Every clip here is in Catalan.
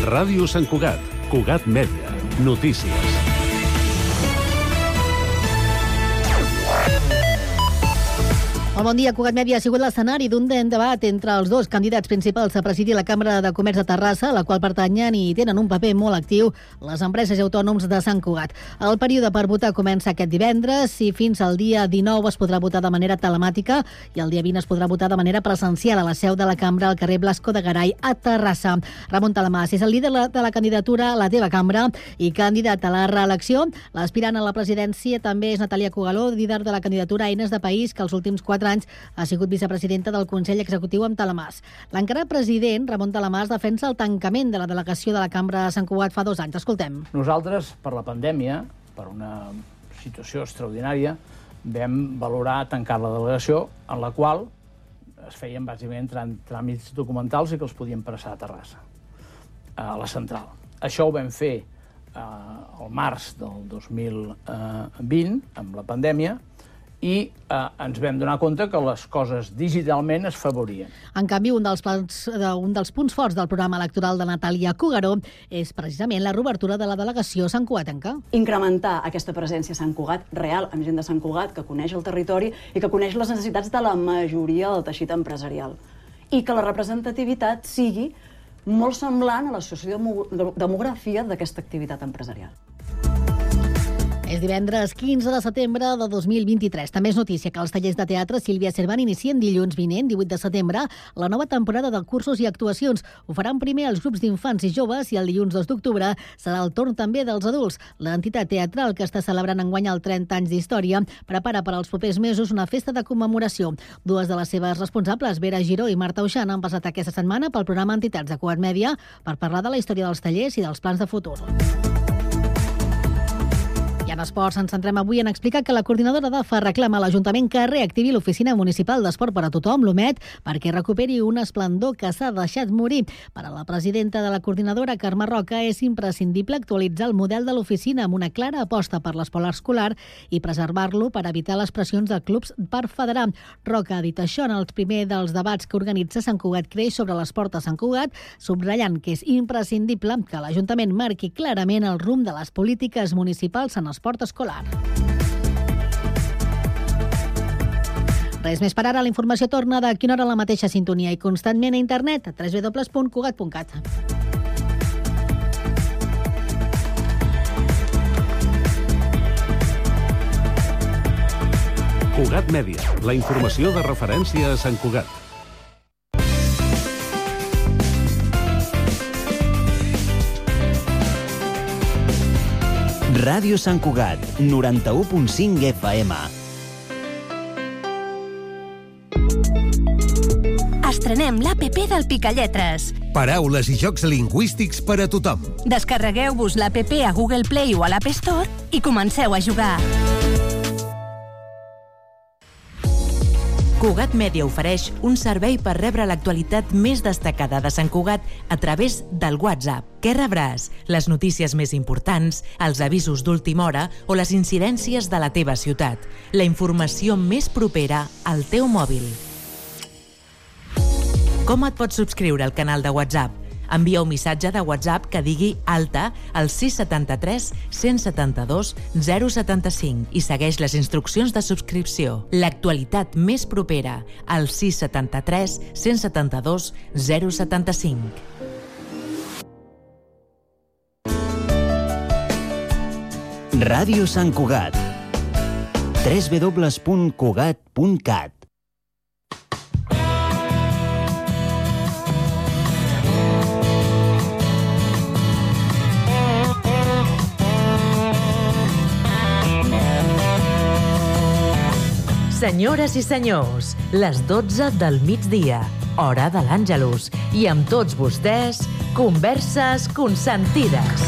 Ràdio Sant Cugat, Cugat Mèdia, notícies. El Bon Dia Cugat Mèdia ha sigut l'escenari d'un debat entre els dos candidats principals a presidir la Cambra de Comerç de Terrassa, a la qual pertanyen i tenen un paper molt actiu les empreses i autònoms de Sant Cugat. El període per votar comença aquest divendres i fins al dia 19 es podrà votar de manera telemàtica i el dia 20 es podrà votar de manera presencial a la seu de la Cambra al carrer Blasco de Garay a Terrassa. Ramon Talamàs és el líder de la candidatura a la teva cambra i candidat a la reelecció. L'aspirant a la presidència també és Natàlia Cugaló, líder de la candidatura Eines de País, que els últims 4 anys ha sigut vicepresidenta del Consell Executiu amb Talamàs. L'encara president, Ramon Talamàs, defensa el tancament de la delegació de la Cambra de Sant Cugat fa 2 anys. Escoltem. Nosaltres, per la pandèmia, per una situació extraordinària, vam valorar tancar la delegació, en la qual es feien bàsicament tràmits documentals i que els podien passar a Terrassa, a la central. Això ho vam fer al març del 2020, amb la pandèmia, i ens vam donar compte que les coses digitalment es favorien. En canvi, un dels punts forts del programa electoral de Natàlia Cugaló és precisament la reobertura de la delegació santcugatenca. Incrementar aquesta presència a Sant Cugat real, amb gent de Sant Cugat que coneix el territori i que coneix les necessitats de la majoria del teixit empresarial. I que la representativitat sigui molt semblant a la sociodemografia d'aquesta activitat empresarial. És divendres 15 de setembre de 2023. També és notícia que els tallers de teatre Sílvia Cervant inicien dilluns vinent, 18 de setembre, la nova temporada de cursos i actuacions. Ho faran primer els grups d'infants i joves i el dilluns 2 d'octubre serà el torn també dels adults. L'entitat teatral, que està celebrant enguany el 30 anys d'història, prepara per als propers mesos una festa de commemoració. 2 de les seves responsables, Vera Giró i Marta Uixana, han passat aquesta setmana pel programa Entitats de Cugat Mèdia per parlar de la història dels tallers i dels plans de futur. I en esports ens centrem avui en explicar que la coordinadora d'AFA reclama a l'Ajuntament que reactivi l'Oficina Municipal d'Esport per a Tothom, l'OMET, perquè recuperi un esplendor que s'ha deixat morir. Per a la presidenta de la coordinadora, Carme Roca, és imprescindible actualitzar el model de l'oficina amb una clara aposta per l'esport escolar i preservar-lo per evitar les pressions de clubs per federar. Roca ha dit això en el primer dels debats que organitza Sant Cugat Creix sobre l'esport a Sant Cugat, subratllant que és imprescindible que l'Ajuntament marqui clarament el rumb de les polítiques municipals en esport escolar. Res més per ara. La informació torna de quina hora a la mateixa sintonia i constantment a internet a www.cugat.cat. Cugat Mèdia, la informació de referència a Sant Cugat. Ràdio Sant Cugat, 91.5 FM. Estrenem l'APP del Picalletres. Paraules i jocs lingüístics per a tothom. Descarregueu-vos l'APP a Google Play o a l'App Store i comenceu a jugar. Cugat Mèdia ofereix un servei per rebre l'actualitat més destacada de Sant Cugat a través del WhatsApp. Què rebràs? Les notícies més importants, els avisos d'última hora o les incidències de la teva ciutat. La informació més propera al teu mòbil. Com et pots subscriure al canal de WhatsApp? Envia un missatge de WhatsApp que digui alta al 673 172 075 i segueix les instruccions de subscripció. L'actualitat més propera al 673 172 075. Ràdio Sant Cugat. www.cugat.cat. Senyores i senyors, les 12 del migdia, hora de l'Àngelus, i amb tots vostès, Converses Consentides.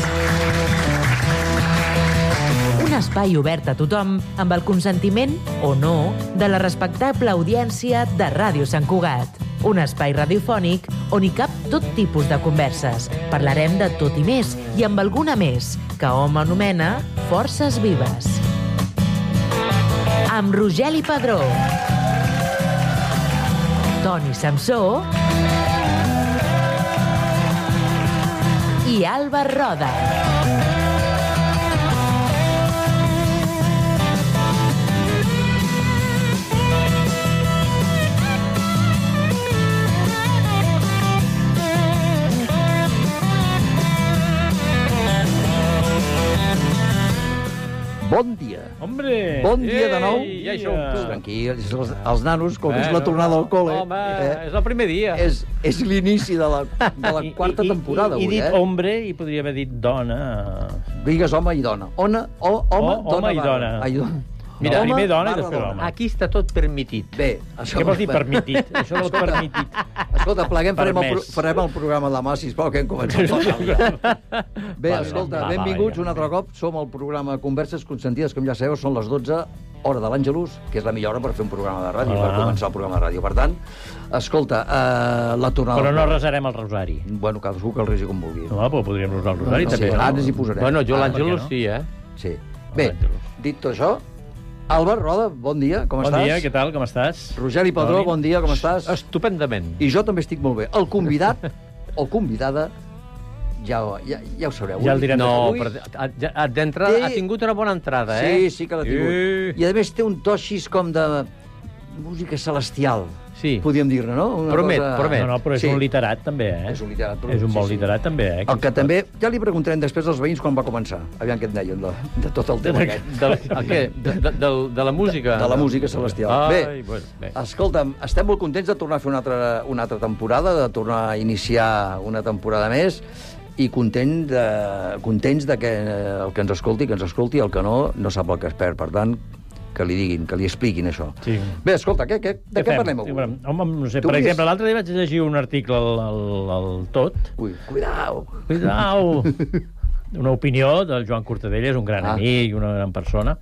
Un espai obert a tothom amb el consentiment, o no, de la respectable audiència de Ràdio Sant Cugat. Un espai radiofònic on hi cap tot tipus de converses. Parlarem de tot i més, i amb alguna més, que hom anomena Forces Vives. Amb Rogeli Padró, Toni Samsó i i Alba Roda. Bon dia. Hombre! Bon dia de nou. Ja hi som. Tranquil, els nanos, com és la tornada al col·le. Home, és el primer dia. És l'inici de la quarta temporada, I avui, dit hombre, i podria haver dit dona. Digues home i dona. Home, dona, i dona. Ai, dona. Mira, Home, primer dona i barra després home. Aquí està tot permitit. Bé, això... Què vols dir permitit? Això del permitit. Escolta, pleguem, Permès. farem el programa demà, sisplau, que hem començat el Bé, escolta, benvinguts un altre cop. Som el programa Converses Consentides, com ja sabeu, són les 12, hora de l'Àngelus, que és la millor hora per fer un programa de ràdio, per començar el programa de ràdio. Per tant, escolta, la tornada... Però no resarem el rosari. Bueno, cadascú que el resi com vulgui. No, però podríem resar el rosari, també. Sí, ara ens hi posarem. Bueno, jo l'Àngelus sí, Sí. Bé, dit tot això, Albert Roda, bon dia, com estàs? Bon dia, què tal, com estàs? Rogeri Padró, bon dia, com estàs? Estupendament. I jo també estic molt bé. El convidat o convidada, ja ho sabreu. Ja el direm. No, però d'entrada ha tingut una bona entrada, Sí que l'ha tingut. I a més té un to així com de música celestial. Sí. Podríem dir-ne, no? Promet. No, però és un literat, també, És un literat. És un bon literat, també, El que també... Ja li preguntarem després als veïns quan va començar. Aviam què et deien de tot el tema aquest. De la música? De la música celestial. Bé. Escolta'm, estem molt contents de tornar a fer una altra temporada, de tornar a iniciar una temporada més, i contents de que el que ens escolti, el que no sap el que es perd. Per tant, que li diguin, que li expliquin això. Sí. Bé, escolta, de què parlem avui? Home, no sé, per exemple, l'altre dia vaig llegir un article al Tot. Ui, cuidao! Una opinió del Joan Cortadella, és un gran amic, una gran persona,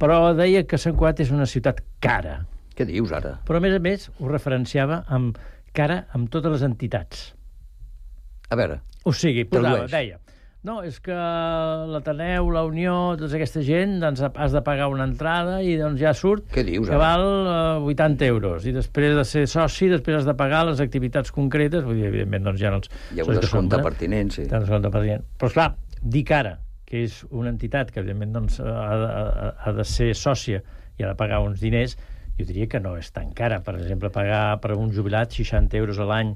però deia que Sant Cugat és una ciutat cara. Què dius, ara? Però, a més, ho referenciava amb cara amb totes les entitats. A veure, o sigui, deia... No, és que l'Ateneu, la Unió, tota aquesta gent, doncs has de pagar una entrada i doncs ja surt què dius, que val 80 euros. I després de ser soci, després has de pagar les activitats concretes. Vull dir, evidentment, doncs ja no els... Hi ha un descompte pertinent, sí. Però, esclar, dic ara que és una entitat que, evidentment, doncs, ha de ser sòcia i ha de pagar uns diners, jo diria que no és tan cara. Per exemple, pagar per un jubilat 60 euros a l'any,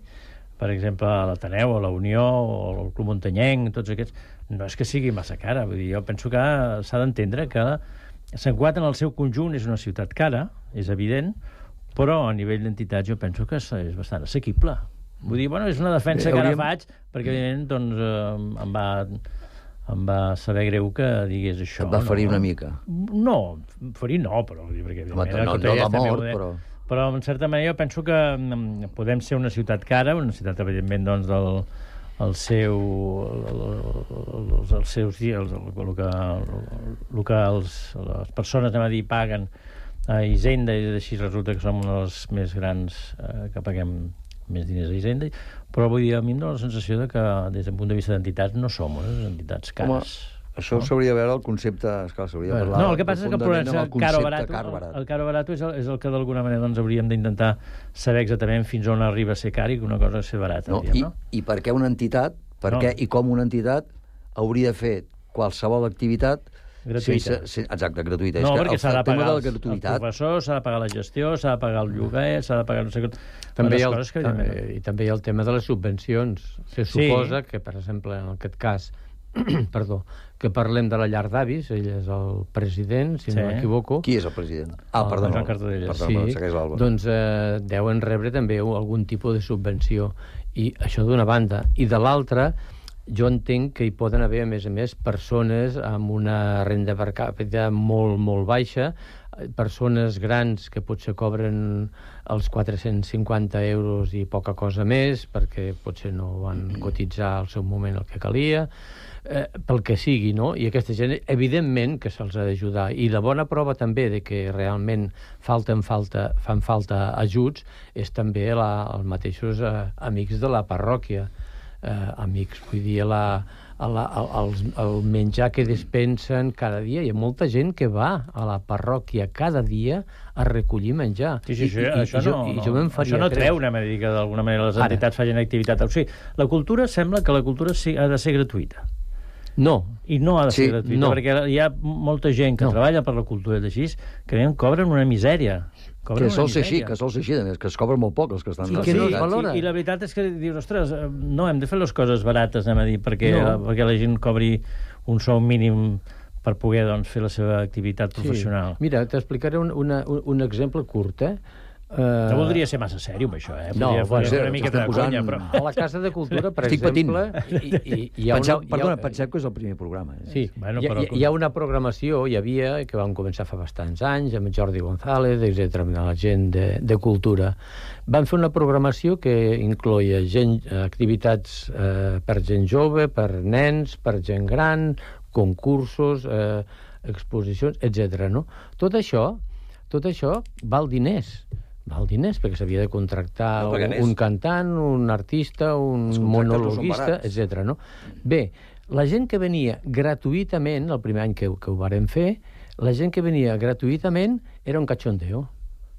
per exemple, a l'Ateneu, a la Unió, o al Club Muntanyenc, tots aquests, no és que sigui massa cara. Vull dir, jo penso que s'ha d'entendre que Sant Cugat en el seu conjunt és una ciutat cara, és evident, però a nivell d'entitats jo penso que és bastant assequible. Vull dir, bueno, és una defensa que ara faig, perquè evidentment doncs, em va saber greu que digués això. Et va ferir una mica? No, ferir no, però... Perquè, no de mort, però... Però, en certa manera, jo penso que podem ser una ciutat cara, una ciutat, evidentment, doncs, el que les persones, anem a dir, paguen a Hisenda, i així resulta que som una de les més grans que paguem més diners a Hisenda, però vull dir, a mi em dóna la sensació de que, des del punt de vista d'entitats, no som unes entitats cares. Això s'hauria de veure el concepte... Esclar, s'hauria de parlar... No, el que passa és que el caro barato és el que d'alguna manera doncs, hauríem d'intentar saber exactament fins on arriba a ser car i que una cosa és ser barata. I per què una entitat, què i com una entitat hauria de fer qualsevol activitat gratuïta. Exacte, gratuïta. No, perquè s'ha de pagar el professor, s'ha de pagar la gestió, s'ha de pagar el lloguer, s'ha de pagar no sé què... I també hi ha el tema de les subvencions. Se suposa que, per exemple, en aquest cas, perdó, que parlem de la llar d'avis, ell és el president, si no m'equivoco. Qui és el president? Perdó, Joan Cortadella. segueix l'Alba. Doncs deuen rebre també algun tipus de subvenció, i això d'una banda. I de l'altra, jo entenc que hi poden haver, a més, persones amb una renda per càpita molt, molt baixa, persones grans que potser cobren els 450 euros i poca cosa més, perquè potser no van cotitzar al seu moment el que calia, pel que sigui, no? I aquesta gent, evidentment, que se'ls ha d'ajudar. I la bona prova també de que realment fan falta ajuts és també els mateixos amics de la parròquia. amics. Vull dir, el menjar que despensen cada dia. Hi ha molta gent que va a la parròquia cada dia a recollir menjar. Sí, això no treu una manera que d'alguna manera les entitats facin activitat. O sigui, la cultura sembla que la cultura ha de ser gratuïta. No. I no ha de ser gratuïta, perquè hi ha molta gent que treballa per la cultura d'així que cobren una misèria. Que sol ser així, a més, que es cobren molt poc els que estan... I la veritat és que dius, ostres, no, hem de fer les coses barates, anem a dir, perquè la gent cobri un sou mínim per poder fer la seva activitat professional. Mira, t'explicaré un exemple curt, No voldria ser massa sèrio amb això, No, una miqueta de conya, però... A la Casa de Cultura, per exemple... Perdona, penseu que és el primer programa. Sí, hi ha una programació, hi havia, que vam començar fa bastants anys, amb Jordi González, etc., amb la gent de cultura. Van fer una programació que incloïa activitats per gent jove, per nens, per gent gran, concursos, exposicions, etc. Tot això val diners. Val diners, perquè s'havia de contractar un cantant, un artista, un monologuista, etc. Bé, la gent que venia gratuïtament, el primer any que ho vàrem fer, la gent que venia gratuïtament era un cachondeo.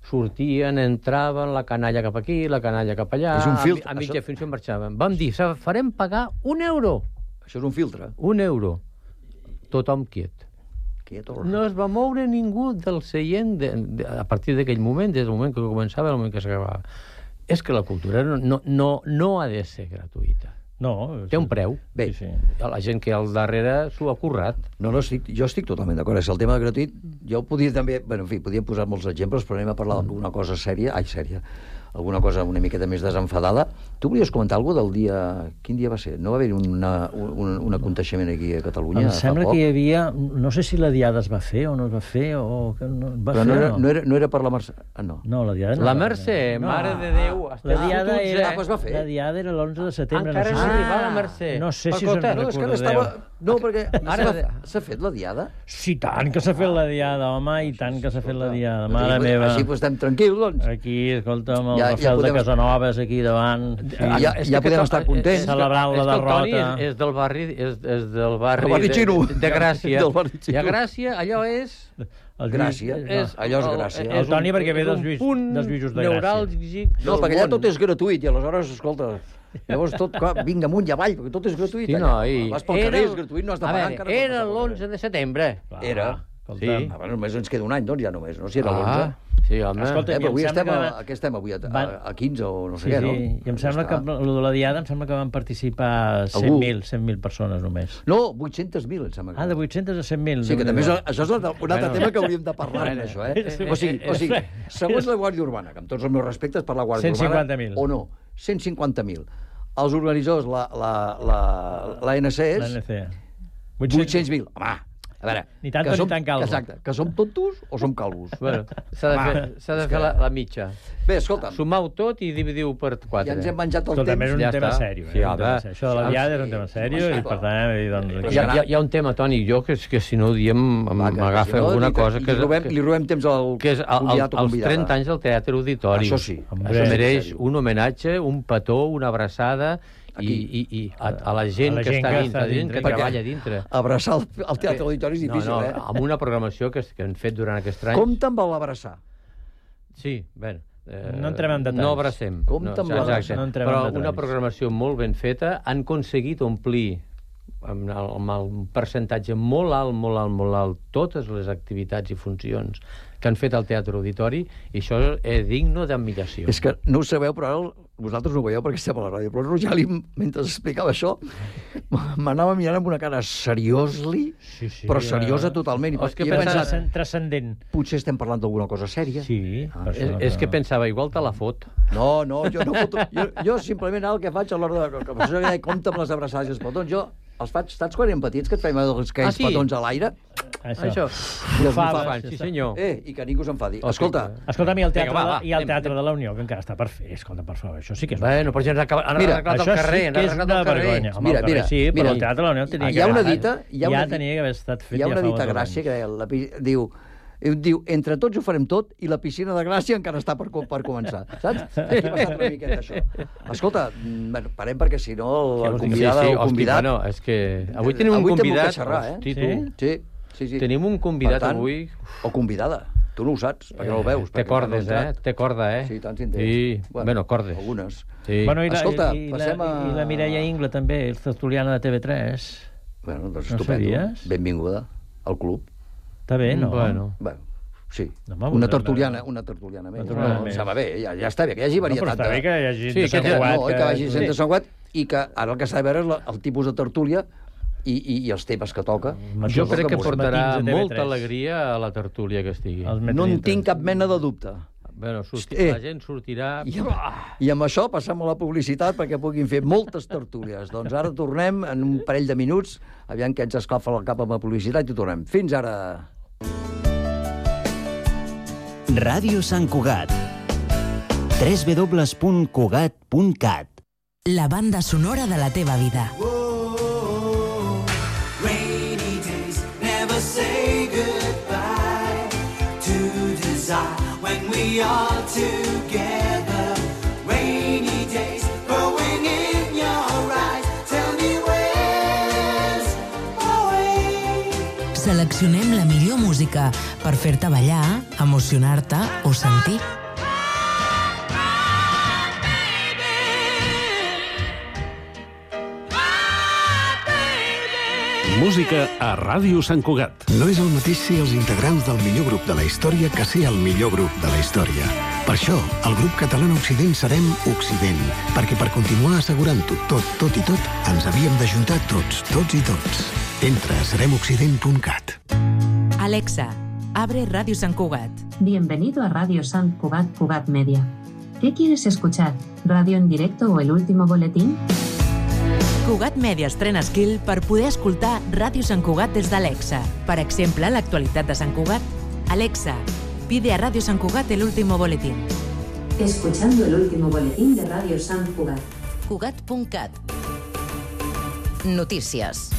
Sortien, entraven, la canalla cap aquí, la canalla cap allà, a mitja funció marxaven. Vam dir, farem pagar €1. Això és un filtre. €1. Tothom quiet. No es va moure ningú del seient a partir d'aquell moment, des del moment que començava al moment que s'acabava. És que la cultura no ha de ser gratuïta. No. Té un preu. Bé, la gent que al darrere s'ho ha currat. Jo estic totalment d'acord. És el tema de gratuït. Jo podria també... Bueno, en fi, podria posar molts exemples, però anem a parlar d'alguna cosa sèria. Alguna cosa una miqueta més desenfadada. Tu volies comentar alguna cosa del dia... Quin dia va ser? No va haver un aconteixement aquí a Catalunya? Em sembla que hi havia... No sé si la Diada es va fer o no es va fer, o... Però no era per la Mercè... No. No, la Diada no. La Mercè, Mare de Déu... La Diada era l'11 de setembre. Encara no s'arriba la Mercè. No sé si se'n recordareu. No, perquè s'ha fet la Diada? Sí, tant que s'ha fet la Diada, home, i tant que s'ha fet la Diada. Mare meva. Així estem tranquils, doncs. Aquí, escolta'm, el Rafael de Casanovas aquí davant. Ja podem estar contents. Celebrant la derrota. És del barri de Gràcia. I a Gràcia allò és... Gràcia. Allò és Gràcia. El Toni perquè ve dels Lluïsos de Gràcia. No, perquè allà tot és gratuït i aleshores, escolta... Llavors tot, vinga amunt i avall, perquè tot és gratuït. Sí, no, vas pel carrer, és gratuït, no has de pagar encara. Era l'11 de setembre. Era. Sí. Només ens queda un any, doncs, ja només, no? Si era l'11. Sí, home. Escolta, però avui estem avui a 15 o no sé què, no? Sí, i em sembla que de la Diada em sembla que van participar 100.000 persones només. No, 800.000, em sembla. De 800 a 100.000. Sí, que també això és un altre tema que hauríem de parlar, això, O sigui, segons la Guàrdia Urbana, que amb tots els meus respectes per la Guàrdia Urbana... 150.000. O no, 150.000. Els organitzadors, l'ANC és... 800.000. Home, a veure... Ni tanto ni tan calvo. Exacte, que som tontos o som calvos? Bueno, s'ha de fer la mitja. Bé, escolta'm. Sumau tot i dividiu per 4. Ja ens hem menjat el temps. Escolta'm, és un tema sèrio. Això de la Diada és un tema sèrio i, per tant... Hi ha un tema, Toni, jo, que si no ho diem m'agafa alguna cosa... Li robem temps al convidat o convidada. Els 30 anys del Teatre Auditori. Això sí. Això mereix un homenatge, un petó, una abraçada... I a la gent que està dintre, que treballa dintre. Abraçar el Teatre Auditori és difícil, amb una programació que han fet durant aquest any. Com te'n vol abraçar? Sí, bé... No entrem en detalls. No abracem. Com te'n vol abraçar? Però una programació molt ben feta, han aconseguit omplir amb el percentatge molt alt, totes les activitats i funcions que han fet al Teatre Auditori, i això és digne d'admiració. És que no ho sabeu, però ara vosaltres no ho veieu perquè estem a la ràdio, però Rogeli, mentre explicava això, m'anava mirant amb una cara però seriosa totalment. És que pensava transcendent. Potser estem parlant d'alguna cosa sèria. Sí. És que pensava, igual te la fot. No, jo no foto. Jo simplement el que faig a l'hora de... compte amb les abraçades i els petons. Jo els faig, saps quan eren petits, que et feim aquells petons a l'aire? Això. Sí, senyor. I que ningú s'enfadi. Escolta'm, i el Teatre de la Unió, que encara està per fer. Escolta, per favor, això sí que és... Bueno, però ja han arreglat el carrer. Això sí que és una vergonya. Mira, sí, però el Teatre de la Unió tenia que haver estat fet ja fa Hi ha una dita gràcia que diu... I diu, entre tots ho farem tot i la piscina de Gràcia encara està per començar, saps? Aquí ha passat una miqueta, això. Escolta, bueno, parem perquè si no el convidat... Bueno, és que avui tenim un convidat... Avui xerrar, Hosti, Sí. Tenim un convidat avui... O convidada. Tu no ho saps, perquè no el veus. Té cordes, Té corda, Sí, tant si en té. Sí, bueno, cordes. Algunes. Sí. Bueno, Escolta, passem a... I la Mireia Ingla, també, el tertuliana de TV3. Bueno, doncs no estupendo. Sabies? Benvinguda al club. Està bé, no? Bueno, sí. No, una tertuliana més. Em va bé, ja està bé, que hi hagi varietat. No, però està bé que hi hagi gent de Sant Cugat. No, que hi hagi gent de Sant Cugat i que ara el que s'ha de veure és el tipus de tertúlia i els temes que toca. Jo crec que portarà molta alegria a la tertúlia que estigui. No en tinc cap mena de dubte. Bueno, la gent sortirà... I amb això passem a la publicitat perquè puguin fer moltes tertúlies. Doncs ara tornem en un parell de minuts, aviam que ens escalfa el cap amb la publicitat i tornem. Fins ara! Ràdio Sant Cugat. www.cugat.cat. La banda sonora de la teva vida. When we are together, rainy days growing in your eyes. Tell me where's my way. Seleccionem la millor música per fer-te ballar, emocionar-te o sentir. Música a Ràdio Sant Cugat. No és el mateix ser els integrants del millor grup de la història que ser el millor grup de la història. Per això, el grup català Occident serem Occident, perquè per continuar assegurant-ho tot i tot, ens havíem d'ajuntar tots i tots. Entra a seremoccident.cat. Alexa, abre Radio Sant Cugat. Bienvenido a Radio Sant Cugat, Cugat Media. ¿Qué quieres escuchar? ¿Radio en directo o el último boletín? Cugat Media estrena skill per poder escoltar Ràdio Sant Cugat des d'Alexa. Per exemple, l'actualitat de Sant Cugat. Alexa, pide a Ràdio Sant Cugat el último boletín. Escuchando el último boletín de Radio Sant Cugat. Cugat.cat. Notícies.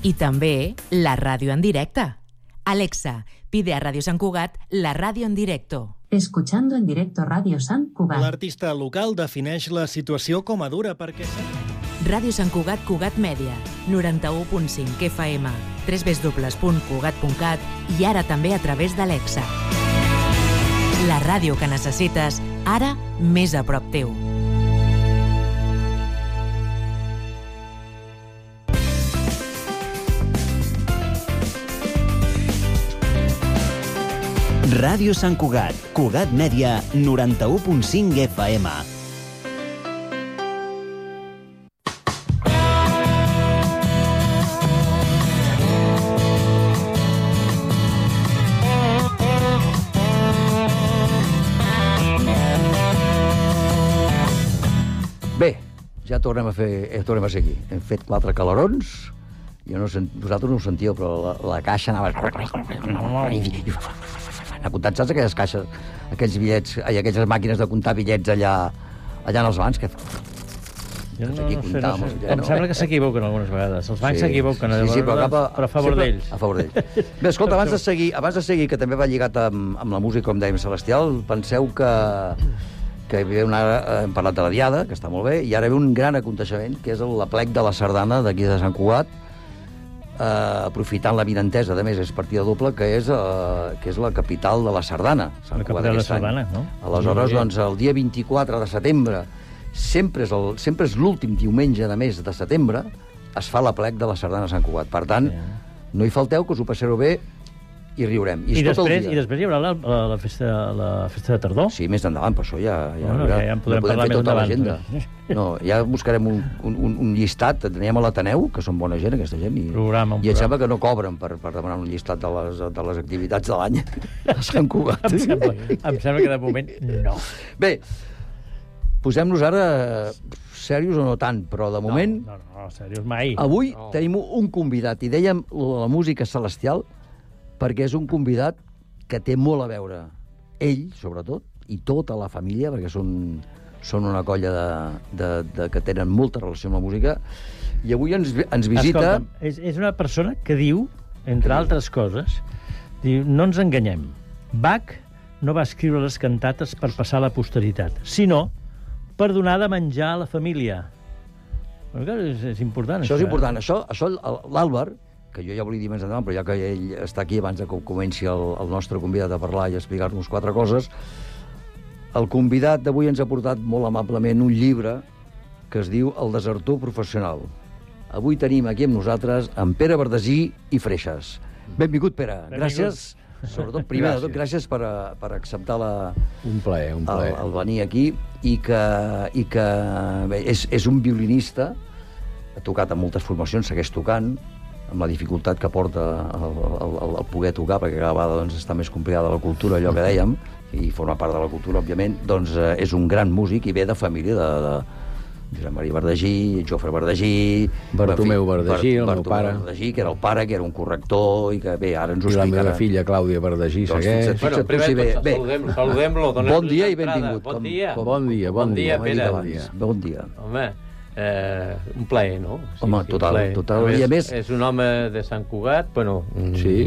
I també la ràdio en directe. Alexa, pide a Ràdio Sant Cugat la ràdio en directo. Escuchando en directo Radio Sant Cugat. L'artista local defineix la situació com a dura perquè... Ràdio Sant Cugat, Cugat Mèdia, 91.5 FM, www.cugat.cat i ara també a través d'Alexa. La ràdio que necessites, ara més a prop teu. Ràdio Sant Cugat, Cugat Mèdia, 91.5 FM. Bé, ja tornem a ser aquí. Hem fet 4 calarons. Vosaltres no ho sentíeu, però la caixa anava... A comptar, saps aquelles caixes, aquells bitllets, aquelles màquines de comptar bitllets allà en els bancs? Jo no sé. Em sembla que s'equivoquen algunes vegades. Els bancs s'equivoquen, però a favor d'ells. A favor d'ells. Bé, escolta, abans de seguir, que també va lligat amb la música, com dèiem, celestial, penseu que hem parlat de la Diada, que està molt bé, i ara ve un gran aconteixement, que és l'aplec de la sardana d'aquí de Sant Cugat, aprofitant la vinentesa, a més, és partida doble, que és la capital de la sardana. La capital de la sardana, no? Aleshores, doncs, el dia 24 de setembre, sempre és l'últim diumenge de mes de setembre, es fa l'aplec de la sardana a Sant Cugat. Per tant, no hi falteu, que us ho passareu bé i riurem. I després hi haurà la festa de tardor? Sí, més endavant, per això ja en podrem parlar més endavant. No, ja buscarem un llistat, teníem a l'Ateneu, que són bona gent, aquesta gent, i em sembla que no cobren per demanar un llistat de les activitats de l'any a Sant Cugat. Em sembla que de moment no. Bé, posem-nos ara serios o no tant, però de moment... No, serios mai. Avui tenim un convidat, i dèiem la música celestial, perquè és un convidat que té molt a veure, ell, sobretot, i tota la família, perquè són una colla que tenen molta relació amb la música, i avui ens visita... Escolta'm, és una persona que diu, entre altres coses, Diu, no ens enganyem. Bach no va escriure les cantates per passar a la posteritat, sinó per donar de menjar a la família. És important, Això és important. Això l'Àlvar, que jo ja volia dir més endavant, però ja que ell està aquí abans de que comenci el nostre convidat a parlar i a explicar-nos 4 coses, el convidat d'avui ens ha portat molt amablement un llibre que es diu El desertor professional. Avui tenim aquí amb nosaltres en Pere Verdesí i Freixas. Benvingut, Pere. Gràcies. Sobretot, primer de tot, gràcies per acceptar un plaer. El venir aquí i que bé, és un violinista, ha tocat en moltes formacions, segueix tocant, amb la dificultat que porta el poder tocar, perquè cada vegada doncs, està més complicada la cultura, allò que dèiem, i forma part de la cultura, òbviament, doncs és un gran músic i ve de família de Josep Maria Verdesí, Jofre Verdesí... Bartomeu Verdesí, el meu pare. Verdesí, que era el pare, que era un corrector, i que bé, ara ens ho explicarà. I la meva explicarà. filla, Clàudia Verdesí, segueix. Bueno, primer saludem-lo. Bon dia i benvingut. Bon dia. Bon dia, Pere. Bon dia. Home, un plaer, no? Home, total. I a més... És un home de Sant Cugat, bueno... Sí,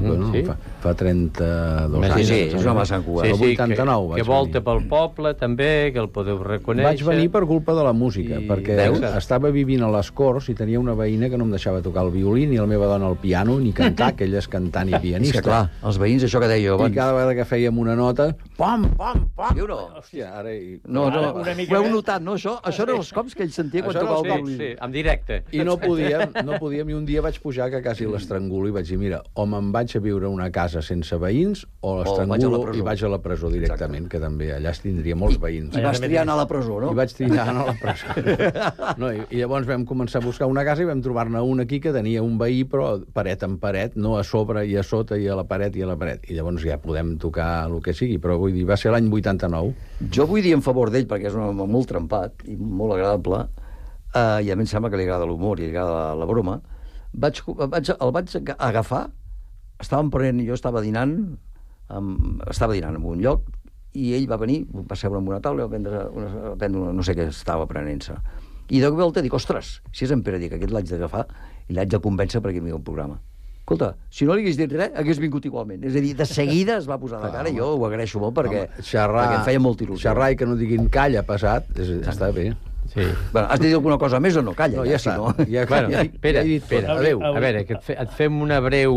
fa 32 anys. Sí, és un home de Sant Cugat. El 89 que volta pel poble, també, que el podeu reconèixer. Vaig venir per culpa de la música, perquè estava vivint a les Corts i tenia una veïna que no em deixava tocar el violí, ni la meva dona el piano, ni cantar, que ella és cantant i pianista. És que clar, els veïns, això que deia jo abans... I cada vegada que fèiem una nota, pam, pam, pam... Sí o no? Hòstia, ara... No, ho heu notat, no? Això eren els cops que ell sentia quan tocava el violí. Sí, en directe. I no podíem, i un dia vaig pujar que quasi l'estrangulo i vaig dir, mira, o me'n vaig a viure a una casa sense veïns, o l'estrangulo i vaig a la presó directament, que també allà es tindria molts veïns. I vas triar anar a la presó, no? I vaig triar anar a la presó. No, i llavors vam començar a buscar una casa i vam trobar-ne una aquí que tenia un veí, però paret en paret, no a sobre i a sota i a la paret i a la paret. I llavors ja podem tocar el que sigui, però vull dir, va ser l'any 89. Jo vull dir en favor d'ell, perquè és un home molt trempat i molt agradable, i a mi em sembla que li agrada l'humor i li agrada la broma. El vaig agafar, jo estava dinant en un lloc, i ell va venir, va seure en una taula, va prendre no sé què estava prenent-se. I de volta dic, ostres, si és en Pere, dic, aquest l'haig d'agafar i l'haig de convèncer perquè vingui al programa. Escolta, si no li hagués dit res, hagués vingut igualment. És a dir, de seguida es va posar de cara i jo ho agraeixo molt perquè em feia molta il·lusió. Xerrar i que no diguin calla, passat, està bé. Sí. Bueno, has de dir alguna cosa més o no? Calla. No, ja està. Pere, adéu. A veure, que et fem una breu...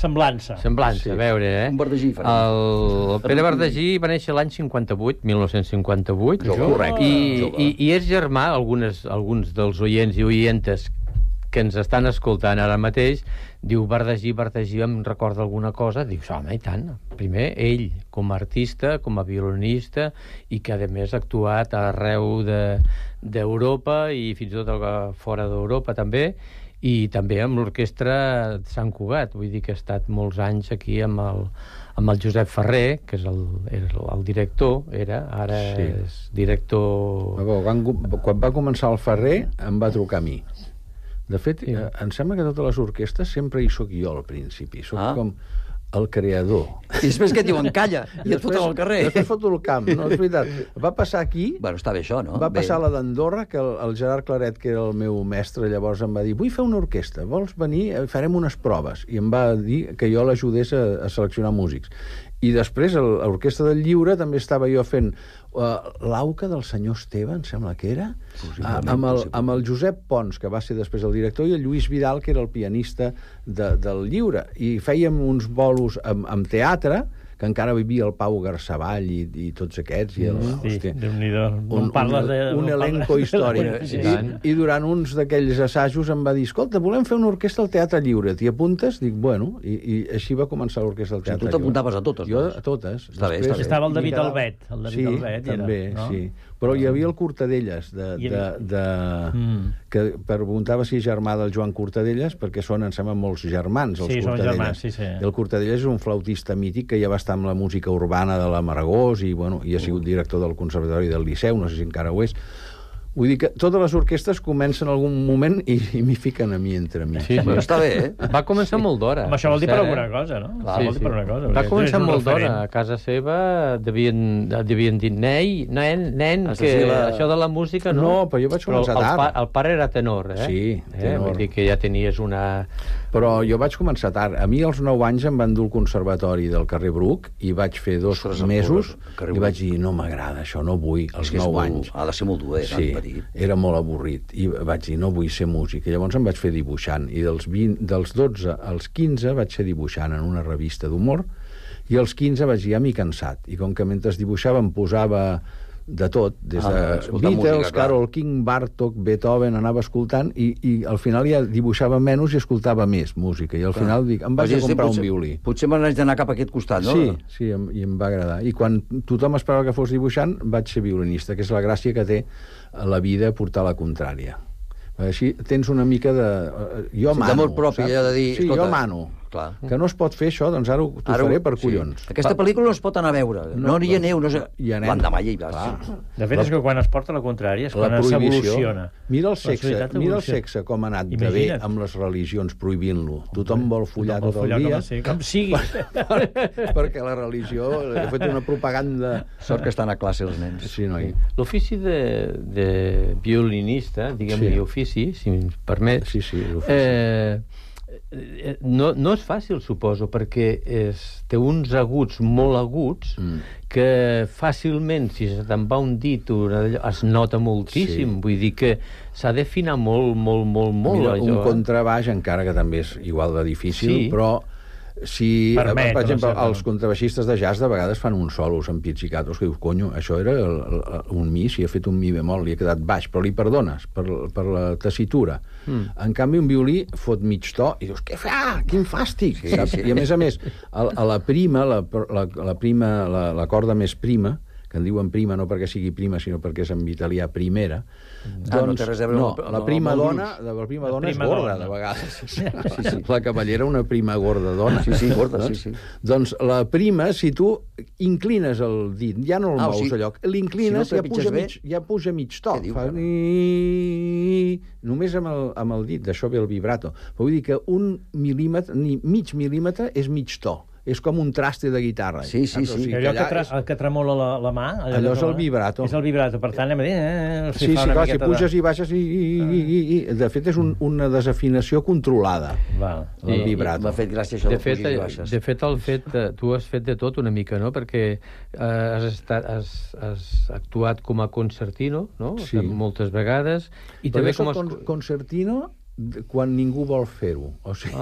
Semblança. A veure, Un Verdesí. El Pere Verdesí va néixer l'any 1958. Correcte. I és germà, alguns dels oients i oientes que ens estan escoltant ara mateix, diu Verdesí, em recorda alguna cosa, dius, home, i tant. Primer, ell, com a artista, com a violinista, i que, a més, ha actuat arreu d'Europa i fins i tot fora d'Europa, també, i també amb l'orquestra de Sant Cugat. Vull dir que ha estat molts anys aquí amb el Josep Ferrer, que és el director, ara és director... Quan va començar el Ferrer, em va trucar a mi. De fet, em sembla que totes les orquestres sempre hi soc jo al principi. Soc com el creador. I després què et diuen? Calla, i et foten al carrer. Després foto el camp, no, és veritat. Va passar aquí... Bueno, està bé això, no? Va passar a la d'Andorra, que el Gerard Claret, que era el meu mestre, llavors em va dir, vull fer una orquestra, vols venir? Farem unes proves. I em va dir que jo l'ajudés a seleccionar músics. I després, a l'Orquestra del Lliure, també estava jo fent l'auca del senyor Esteve, em sembla que era, amb el Josep Pons, que va ser després el director, i el Lluís Vidal, que era el pianista del Lliure. I fèiem uns bolos amb teatre, que encara vivia el Pau Garçavall i tots aquests. Un elenco històric. I durant uns d'aquells assajos em va dir, escolta, volem fer una orquestra al Teatre Lliure, t'hi apuntes? Dic, bueno, i així va començar l'orquestra al Teatre Lliure. Tu t'apuntaves a totes, jo a totes. Està bé. Estava el David Albet. Sí, també, sí. Però hi havia el Cortadelles, que preguntava si és germà del Joan Cortadelles, perquè són, em sembla, molts germans, els Cortadelles. Sí, són germans, sí. I el Cortadelles és un flautista mític que ja va estar amb la música urbana de la Maragós i ha sigut director del Conservatori del Liceu, no sé si encara ho és. Vull dir que totes les orquestres comencen en algun moment i m'hi fiquen a mi entre mi. Sí, però està bé, Va començar molt d'hora. Això vol dir per alguna cosa, no? Va començar molt d'hora. A casa seva devien dir nen, que això de la música no. No, però jo vaig començar tard. El pare era tenor, eh? Sí, tenor. Vull dir que ja tenies una Però jo vaig començar tard. A mi als 9 anys em van dur al conservatori del carrer Bruc i vaig fer 2 mesos i vaig dir, no m'agrada això, no vull, als 9 anys. Ha de ser molt dur, Sí, era molt avorrit. I vaig dir, no vull ser músic. I llavors em vaig fer dibuixant. I dels 12 als 15 vaig ser dibuixant en una revista d'humor i als 15 vaig dir, ja m'he cansat. I com que mentre dibuixava em posava de tot, des de Beatles, Carole King, Bartók, Beethoven, anava escoltant i al final ja dibuixava menys i escoltava més música. I al final dic, em vaig a comprar un violí. Potser me n'haig d'anar cap a aquest costat, no? Sí, i em va agradar. I quan tothom esperava que fos dibuixant, vaig ser violinista, que és la gràcia que té la vida portar la contrària. Així tens una mica de... Jo mano, d'amor propi, ja de dir... Sí, jo mano. Clar. Que no es pot fer això, doncs ara t'ho faré per collons. Aquesta pel·lícula no es pot anar a veure. No hi aneu, no sé... L'endemà ja hi vas. De fet, és que quan es porta la contrària és quan s'evoluciona. Mira el sexe com ha anat de bé amb les religions prohibint-lo. Tothom vol follar tot el dia. Com sigui. Perquè la religió ha fet una propaganda... Sort que estan a classe els nens. Sí, noi. L'ofici de violinista, diguem-li ofici, si em permet, no és fàcil, suposo, perquè té uns aguts molt aguts que fàcilment, si se te'n va un dit, es nota moltíssim. Vull dir que s'ha d'afinar molt. Mira, un contrabaix, encara que també és igual de difícil, però si, per exemple, els contrabaixistes de jazz de vegades fan uns solos amb pizzicatos que dius, conyo, això era un mi, si ha fet un mi bemol, li ha quedat baix, però li perdones per la tessitura. En canvi, un violí fot mig to i dius, què fa? Quin fàstic! I a més, a la prima, la corda més prima, que en diuen prima no perquè sigui prima, sinó perquè és en italià primera, doncs, la prima dona és gorda, de vegades. La cavallera, una prima gorda dona. Sí, gorda, sí. Doncs la prima, si tu inclines el dit, ja no el mous a lloc, l'inclines i ja puja mig to. Només amb el dit, d'això ve el vibrato. Vull dir que un mil·límetre, ni mig mil·límetre, és mig to. És com un traste de guitarra. Sí. Allò que tremola la mà... Allò és el vibrato. És el vibrato, per tant, anem a dir... Sí, clar, si puges i baixes i... De fet, és una desafinació controlada, el vibrato. M'ha fet gràcia això de pujar i baixes. De fet, tu has fet de tot una mica, no? Perquè has actuat com a concertino, no? Moltes vegades. Però jo soc concertino quan ningú vol fer-ho. O sigui,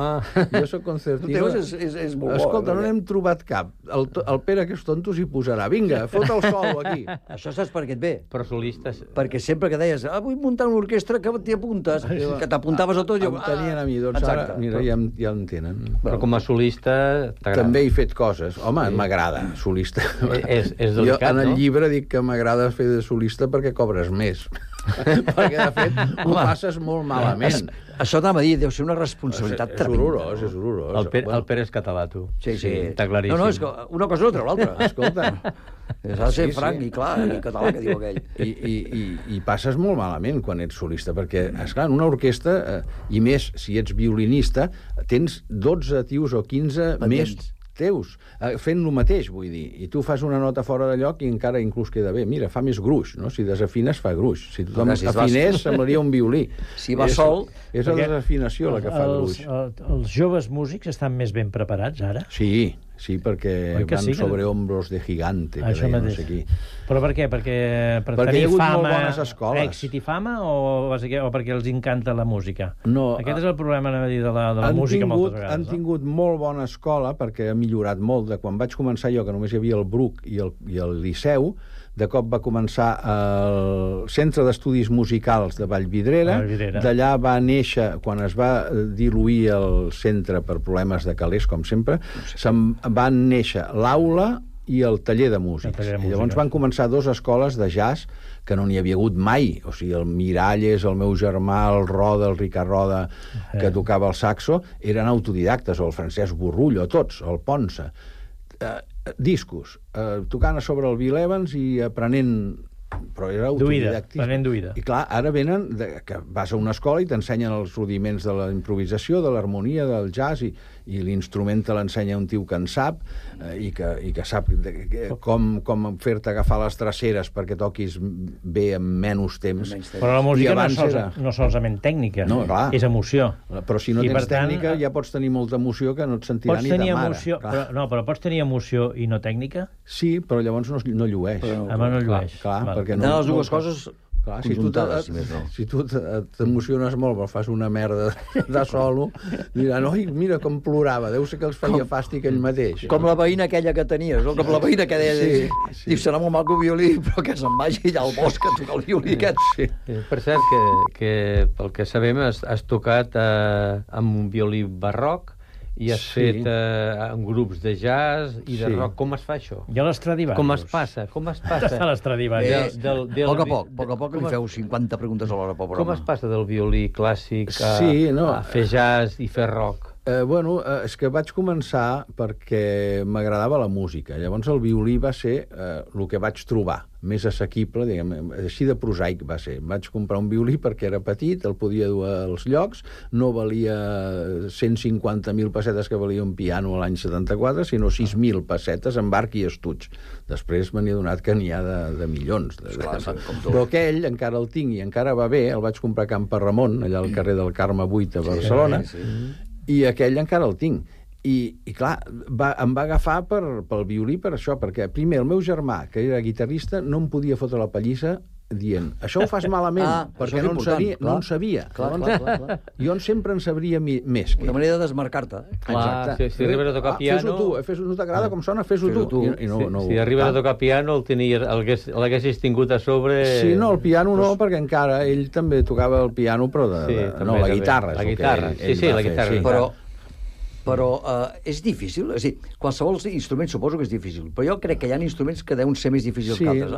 jo soc concertino... És molt bo. Escolta, no n'hem trobat cap. El Pere, que és tonto, s'hi posarà. Vinga, fot el solo aquí. Això saps per què et ve? Però solistes... Perquè sempre que deies, vull muntar una orquestra, que t'hi apuntes, que t'apuntaves a tot... Em tenien a mi, doncs ara, mira, ja em tenen. Però com a solista t'agrada. També he fet coses. Home, m'agrada, solista. És delicat, jo en el llibre dic que m'agrada fer de solista perquè cobres més. Perquè, de fet, ho passes molt malament. Això t'anava a dir, deu ser una responsabilitat tremenda. És horrorós. El Pere és català, tu. Sí. Està claríssim. No, és que una cosa no treu l'altra. Escolta. S'ha de ser franc i clar, i català, que diu aquell. I passes molt malament quan ets solista, perquè, esclar, en una orquestra, i més, si ets violinista, tens 12 tios o 15 més teus, fent el mateix, vull dir, i tu fas una nota fora de lloc i encara inclús queda bé. Mira, fa més gruix, no? Si desafines, fa gruix. Si tothom afinés, semblaria un violí. Si va sol... És la desafinació la que fa gruix. Els joves músics estan més ben preparats, ara? Sí, perquè van sobre hombros de gigante, que deia no sé qui. Però per què? Perquè tenir fama, èxit i fama, o perquè els encanta la música? No. Aquest és el problema de la música moltes vegades. Han tingut molt bona escola, perquè ha millorat molt. De quan vaig començar jo, que només hi havia el Bruc i el Liceu, de cop va començar el Centre d'Estudis Musicals de Vallvidrera. D'allà va néixer, quan es va diluir el centre per problemes de calés, com sempre, van néixer l'aula i el taller de músics. I llavors van començar 2 escoles de jazz que no n'hi havia hagut mai. O sigui, el Miralles, el meu germà, el Roda, el Ricard Roda, que tocava el saxo, eren autodidactes, o el Francesc Borrullo, tots, el Ponsa. Discos, tocant a sobre el Bill Evans i aprenent però era Duïda, autodidactisme. plenament duïda. I clar, ara venen que vas a una escola i t'ensenyen els rudiments de la improvisació, de l'harmonia, del jazz, i l'instrument te l'ensenya un tio que en sap, i que sap com fer-te agafar les traceres perquè toquis bé en menys temps. Però la música no solament tècnica, és emoció. Però si no tens tècnica ja pots tenir molta emoció que no et sentirà ni ta mare. Però pots tenir emoció i no tècnica? Sí, però llavors no llueix. No llueix. Clar, perquè les dues coses conjuntades, si tu t'emociones molt però fas una merda de solo, diran, oi, mira com plorava, deu ser que els feia fàstic ell mateix. Com la veïna aquella que tenies, o com la veïna que deia, diu, serà molt maco violí, però que se'n vagi allà al bosc a tocar el violí aquest. Per cert, que pel que sabem has tocat amb un violí barroc i has fet en grups de jazz i de rock. Com es fa això? I a l'Estradivarius. Com es passa? A l'Estradivarius. A poc li feu 50 preguntes a l'hora pel programa. Com es passa del violí clàssic a fer jazz i fer rock? És que vaig començar perquè m'agradava la música. Llavors el violí va ser el que vaig trobar, més assequible, diguem, així de prosaic va ser. Vaig comprar un violí perquè era petit, el podia dur als llocs, no valia 150.000 pessetes que valia un piano l'any 74, sinó 6.000 pessetes amb arc i estuig. Després me n'he adonat que n'hi ha de milions. Però aquell encara el tinc i encara va bé, el vaig comprar a Can Parramon, allà al carrer del Carme 8 a Barcelona, i aquell encara el tinc. I clar, em va agafar pel violí per això, perquè primer el meu germà, que era guitarrista, no em podia fotre la pallissa dient, això ho fas malament, perquè no en sabia. Jo sempre en sabria més. Una manera de desmarcar-te. Exacte. Si arribes a tocar piano... Fes-ho tu, no t'agrada com sona, fes-ho tu. Si arribes a tocar piano, l'haguessis tingut a sobre... Sí, no, el piano no, perquè encara ell també tocava el piano, però la guitarra. La guitarra, sí, la guitarra. Però és difícil, és a dir, qualsevol instrument suposo que és difícil, però jo crec que hi ha instruments que deuen ser més difícils que altres.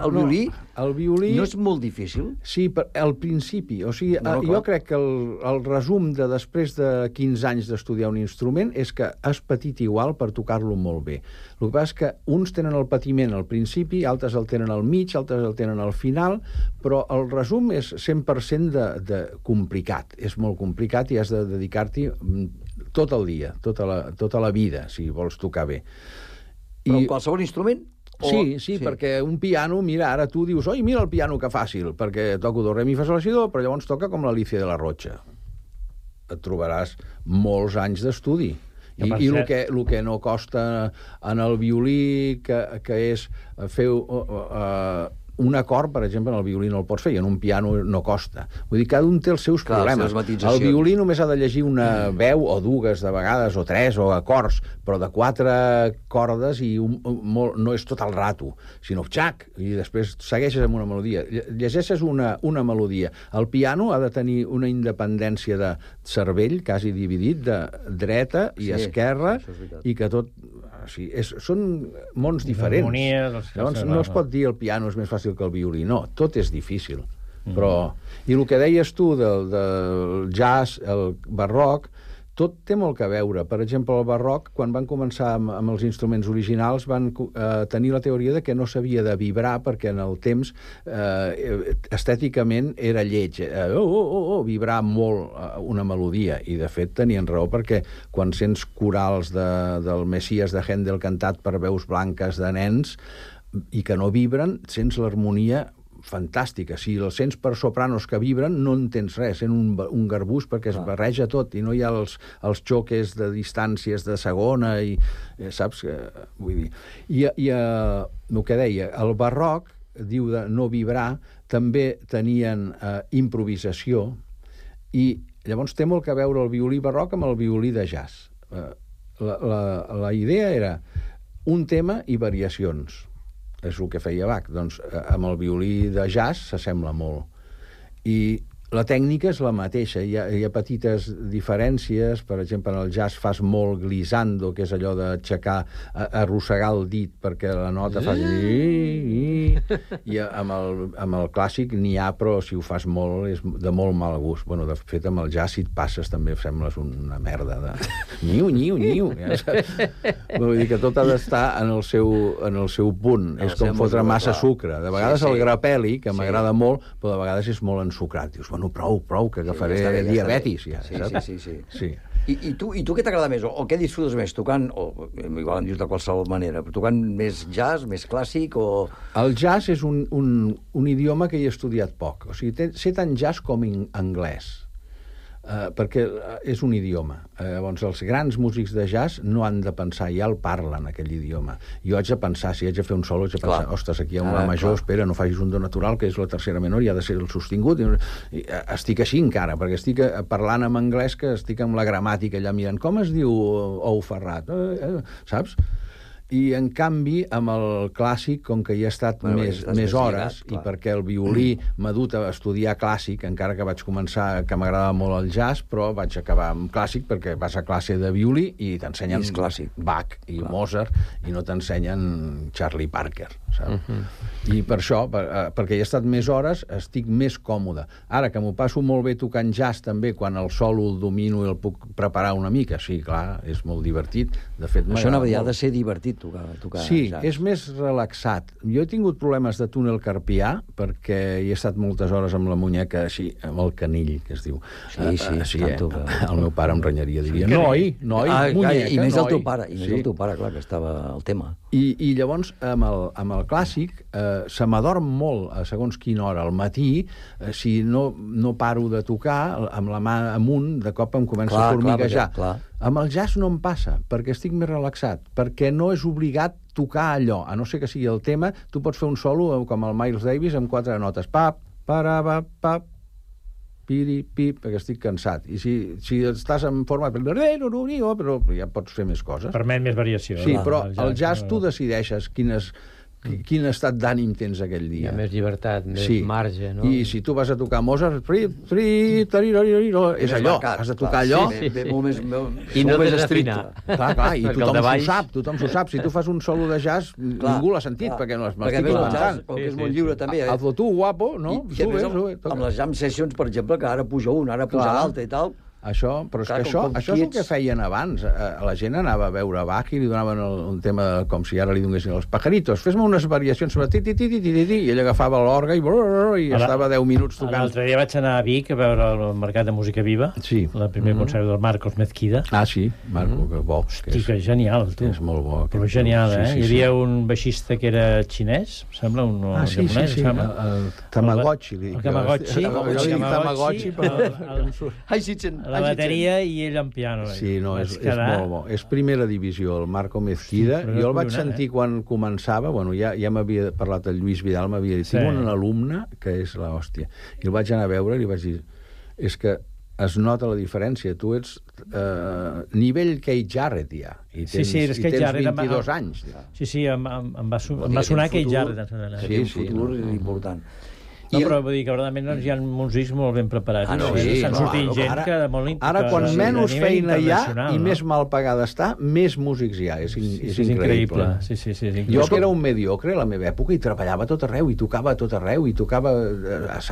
El violí no és molt difícil? Sí, al principi. O sigui, jo crec que el resum de després de 15 anys d'estudiar un instrument és que has patit igual per tocar-lo molt bé. El que passa és que uns tenen el patiment al principi, altres el tenen al mig, altres el tenen al final, però el resum és 100% de complicat. És molt complicat i has de dedicar-t'hi tot el dia, tota la vida, si vols tocar bé. Però qualsevol instrument? Sí, perquè un piano, mira, ara tu dius, oi, mira el piano que fàcil, perquè toco do, re, mi, fa, sol, si, do, però llavors toca com l'Alicia de la Rocha. Et trobaràs molts anys d'estudi. I el que no costa en el violí, que és fer un acord, per exemple, en el violí no el pots fer, i en un piano no costa. Vull dir, cada un té els seus problemes. El violí només ha de llegir una veu, o dues de vegades, o tres, o acords, però de 4 cordes i no és tot el rato, sinó xac, i després segueixes amb una melodia. Llegeixes una melodia. El piano ha de tenir una independència de cervell, quasi dividit, de dreta i esquerra, i que tot... són mons diferents. Llavors no es pot dir el piano és més fàcil que el violí, no, tot és difícil. I el que deies tu del jazz, el barroc, tot té molt que veure. Per exemple, el barroc, quan van començar amb els instruments originals, van tenir la teoria de que no s'havia de vibrar perquè en el temps estèticament era lleig. Vibrar molt una melodia. I, de fet, tenien raó perquè quan sents corals del Messies de Händel cantat per veus blanques de nens i que no vibren, sents l'harmonia fantàstica. Si els sents per sopranos que vibren, no entens res, sent un garbús perquè es barreja tot i no hi ha els xoques de distàncies de segona i saps? Vull dir... I el que deia, el barroc diu de no vibrar, també tenien improvisació i llavors té molt que veure el violí barroc amb el violí de jazz. La idea era un tema i variacions. És el que feia Bach. Doncs amb el violí de jazz s'assembla molt. I La tècnica és la mateixa, hi ha petites diferències, per exemple, en el jazz fas molt glissando, que és allò d'aixecar, arrossegar el dit perquè la nota fa... I amb el clàssic n'hi ha, però si ho fas molt és de molt mal gust. Bueno, de fet, amb el jazz, si et passes, també sembles una merda de... Niu. Vull dir que tot ha d'estar en el seu punt. És com fotre massa sucre. De vegades el grapeli, que m'agrada molt, però de vegades és molt ensucrat. Dius, bueno, prou, que agafaré diabetis, ja, saps? Sí. I tu què t'agrada més? O què disfrutes més? Tocant, o igual em dius de qualsevol manera, però tocant més jazz, més clàssic, o... El jazz és un idioma que hi he estudiat poc. O sigui, sé tant jazz com anglès. Perquè és un idioma. Llavors, els grans músics de jazz no han de pensar, ja el parlen, aquell idioma. Jo haig de pensar, si haig de fer un solo, haig de pensar, ostres, aquí hi ha un la major, espera, no facis un do natural, que és la tercera menor, i ha de ser el sostingut. I estic així encara, perquè estic parlant en anglès, que estic amb la gramàtica allà mirant, com es diu ou ferrat? Saps? I, en canvi, amb el clàssic, com que hi he estat més hores, i perquè el violí m'ha dut a estudiar clàssic, encara que vaig començar, que m'agradava molt el jazz, però vaig acabar amb clàssic, perquè vas a classe de violí i t'ensenyen Bach i Mozart, i no t'ensenyen Charlie Parker, saps? I per això, perquè hi he estat més hores, estic més còmode. Ara, que m'ho passo molt bé tocant jazz, també, quan el solo el domino i el puc preparar una mica, sí, clar, és molt divertit. De fet, això ha de ser divertit, tocar sí, jazz. És més relaxat. Jo he tingut problemes de túnel carpià perquè hi he estat moltes hores amb la muñeca així, amb el canill, que es diu. Sí, el meu pare em renyaria, diria, noi, muñeca, i més el teu pare, clar, que estava al tema. I llavors, amb el clàssic, se m'adorm molt a segons quina hora. Al matí, si no paro de tocar, amb la mà amunt, de cop em comença a formiguejar. Amb el jazz no em passa, perquè estic més relaxat, perquè no és obligat tocar allò, a no ser que sigui el tema. Tu pots fer un solo com el Miles Davis amb 4 notes, pap, pap, piri, pip, perquè estic cansat. I si estàs en forma... però ja pots fer més coses. Permet més variació. Sí, però el jazz tu decideixes quin estat d'ànim tens aquell dia. Hi ha més llibertat, més marge, no? I si tu vas a tocar Mozart, és allò, has de tocar allò. I no t'has d'afinar. Clar, i tothom s'ho sap. Si tu fas un solo de jazz, ningú l'ha sentit, perquè no m'estic inventant. Com que és molt lliure, també. Hazlo tu, guapo, no? I a més, amb les jam sessions, per exemple, que ara puja un, ara puja l'altre i tal... Això, però és que això és el que feien abans. La gent anava a veure Bach i li donaven un tema com si ara li donessin els pajaritos. Fes-me unes variacions sobre i ell agafava l'orga i estava 10 minuts tocant. L'altre dia vaig anar a Vic a veure el Mercat de Música Viva, el primer concert del Marcos Mezquida. Ah, sí, Marco, que bo. Hosti, que genial, tu. És molt bo. Però genial, eh? Hi havia un baixista que era xinès, em sembla, un japonès, em sembla. El Tamagotchi. El Tamagotchi. La bateria i ell en piano. Sí, no, és molt bo. És primera divisió, el Marco Mezquida. Jo el vaig sentir quan començava, bueno, ja m'havia parlat el Lluís Vidal, m'havia dit, tinc un alumne que és l'hòstia. I el vaig anar a veure i li vaig dir, és que es nota la diferència. Tu ets nivell Keith Jarrett, ja. I tens 22 anys. Sí, em va sonar Keith Jarrett. Sí, un futur important. No, però vull dir que verdaderament hi ha músics molt ben preparats. S'han sortit gent que molt... Ara, quan menys feina hi ha i més mal pagada està, més músics hi ha. És increïble. Jo, que era un mediocre a la meva època, i treballava a tot arreu, i tocava a tot arreu, i tocava a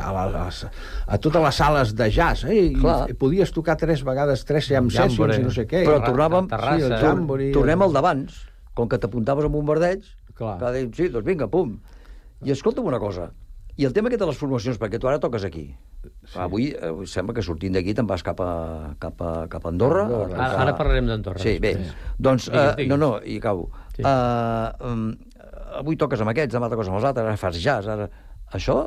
totes les sales de jazz. Podies tocar 3 vegades 3 jam sessions i no sé què. Però tornem al d'abans. Com que t'apuntaves amb un bombardeig, sí, doncs vinga, pum. I escolta'm una cosa, i el tema aquest de les formacions, perquè tu ara toques aquí. Avui sembla que sortint d'aquí te'n vas cap a Andorra. Ara parlarem d'Andorra. Sí, bé. Doncs, i acabo. Avui toques amb aquests, demà toques amb els altres, ara fas jazz, ara... Això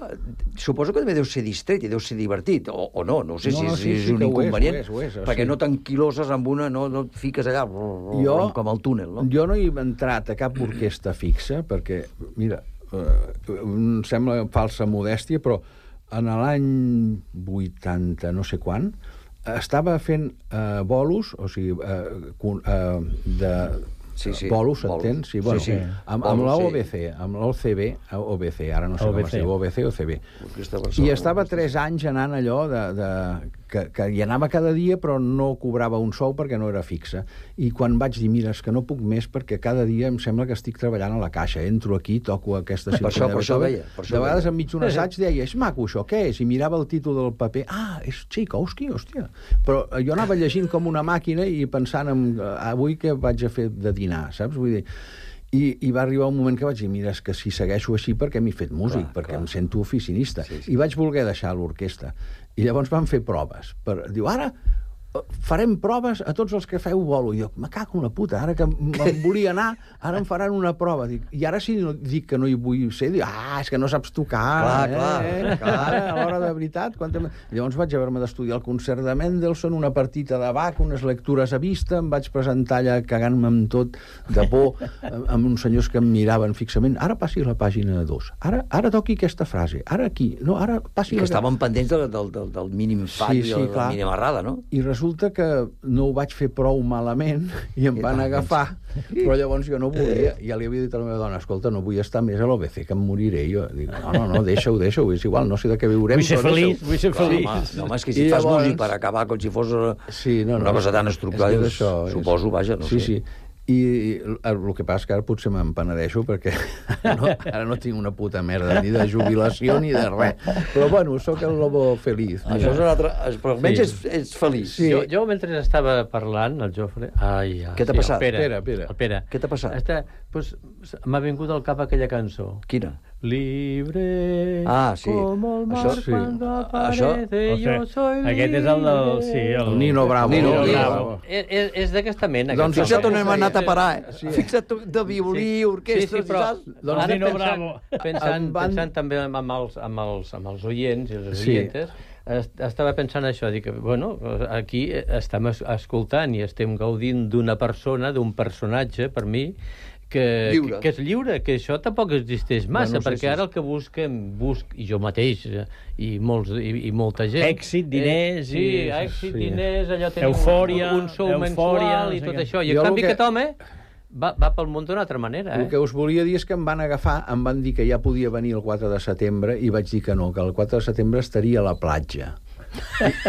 suposo que també deu ser distret i deu ser divertit, o no sé si és un inconvenient, perquè no t'enquiloses amb una, no et fiques allà com al túnel, no? Jo no he entrat a cap orquestra fixa, perquè, mira, em sembla falsa modèstia, però en l'any 80 no sé quan estava fent bolos, o sigui, Bolo, s'entén? Sí, bueno, sí. amb l'OBC, amb l'OCB, OBC, ara no sé com es diu, OBC o CB. I estava 3 anys anant allò que hi anava cada dia però no cobrava un sou perquè no era fixe. I quan vaig dir, mira, és que no puc més perquè cada dia em sembla que estic treballant a la caixa. Entro aquí, toco aquesta sinfonia. Per això veia. De vegades enmig d'un assaig deia, és maco això, què és? I mirava el títol del paper, és Tchaikovsky, hòstia. Però jo anava llegint com una màquina i pensant en avui què vaig a fer de dinar, saps? Vull dir, i va arribar un moment que vaig dir, mira, és que si segueixo així perquè m'he fet músic, perquè em sento oficinista. I vaig voler deixar l'orquestra. I llavors van fer proves. Diu, ara farem proves a tots els que feu bolo. I jo, me cago en la puta, ara que me'n volia anar, ara em faran una prova. I ara si dic que no hi vull ser, dic, és que no saps tocar. Clar, a l'hora de veritat. Llavors vaig haver-me d'estudiar el concert de Mendelssohn, una partita de Bach, unes lectures a vista, em vaig presentar allà cagant-me amb tot de por, amb uns senyors que em miraven fixament. Ara passi la pàgina 2. Ara toqui aquesta frase. Ara aquí. No, ara passi que estaven pendents del mínim fall i de la mínima errada, no? I resulta que no ho vaig fer prou malament i em van agafar, però llavors jo no volia. Ja li havia dit a la meva dona, escolta, no vull estar més a l'OBC, que em moriré. Jo dic, no, deixa-ho, és igual, no sé de què viurem. Vull ser feliç. Home, és que si fas músic per acabar com si fos una cosa tan estructurada, suposo, vaja, no sé. Sí. I el que passa és que ara potser me'n penedeixo perquè ara no tinc una puta merda ni de jubilació ni de res. Però bueno, sóc el lobo feliç. Això és un altre... Però almenys ets feliç. Sí. Jo mentre estava parlant, el Jofre... Què t'ha passat? El Pere. Què t'ha passat? M'ha vingut al cap aquella cançó. Quina? Libre como el mar cuando aparece yo soy libre. Aquest és el del... El Nino Bravo. És d'aquesta mena. Doncs fixa't on hem anat a parar, Fixa't de violí, orquestres... Sí, però ara pensant també amb els oients i les oientes, estava pensant això, dic, bueno, aquí estem escoltant i estem gaudint d'una persona, d'un personatge, per mi, que és lliure, que això tampoc existeix massa, perquè ara el que busquem, i jo mateix, i molta gent... Èxit, diners... diners, allò tenim un sou mensual i tot això. I en canvi aquest home va pel món d'una altra manera. El que us volia dir és que em van agafar, em van dir que ja podia venir el 4 de setembre i vaig dir que no, que el 4 de setembre estaria a la platja.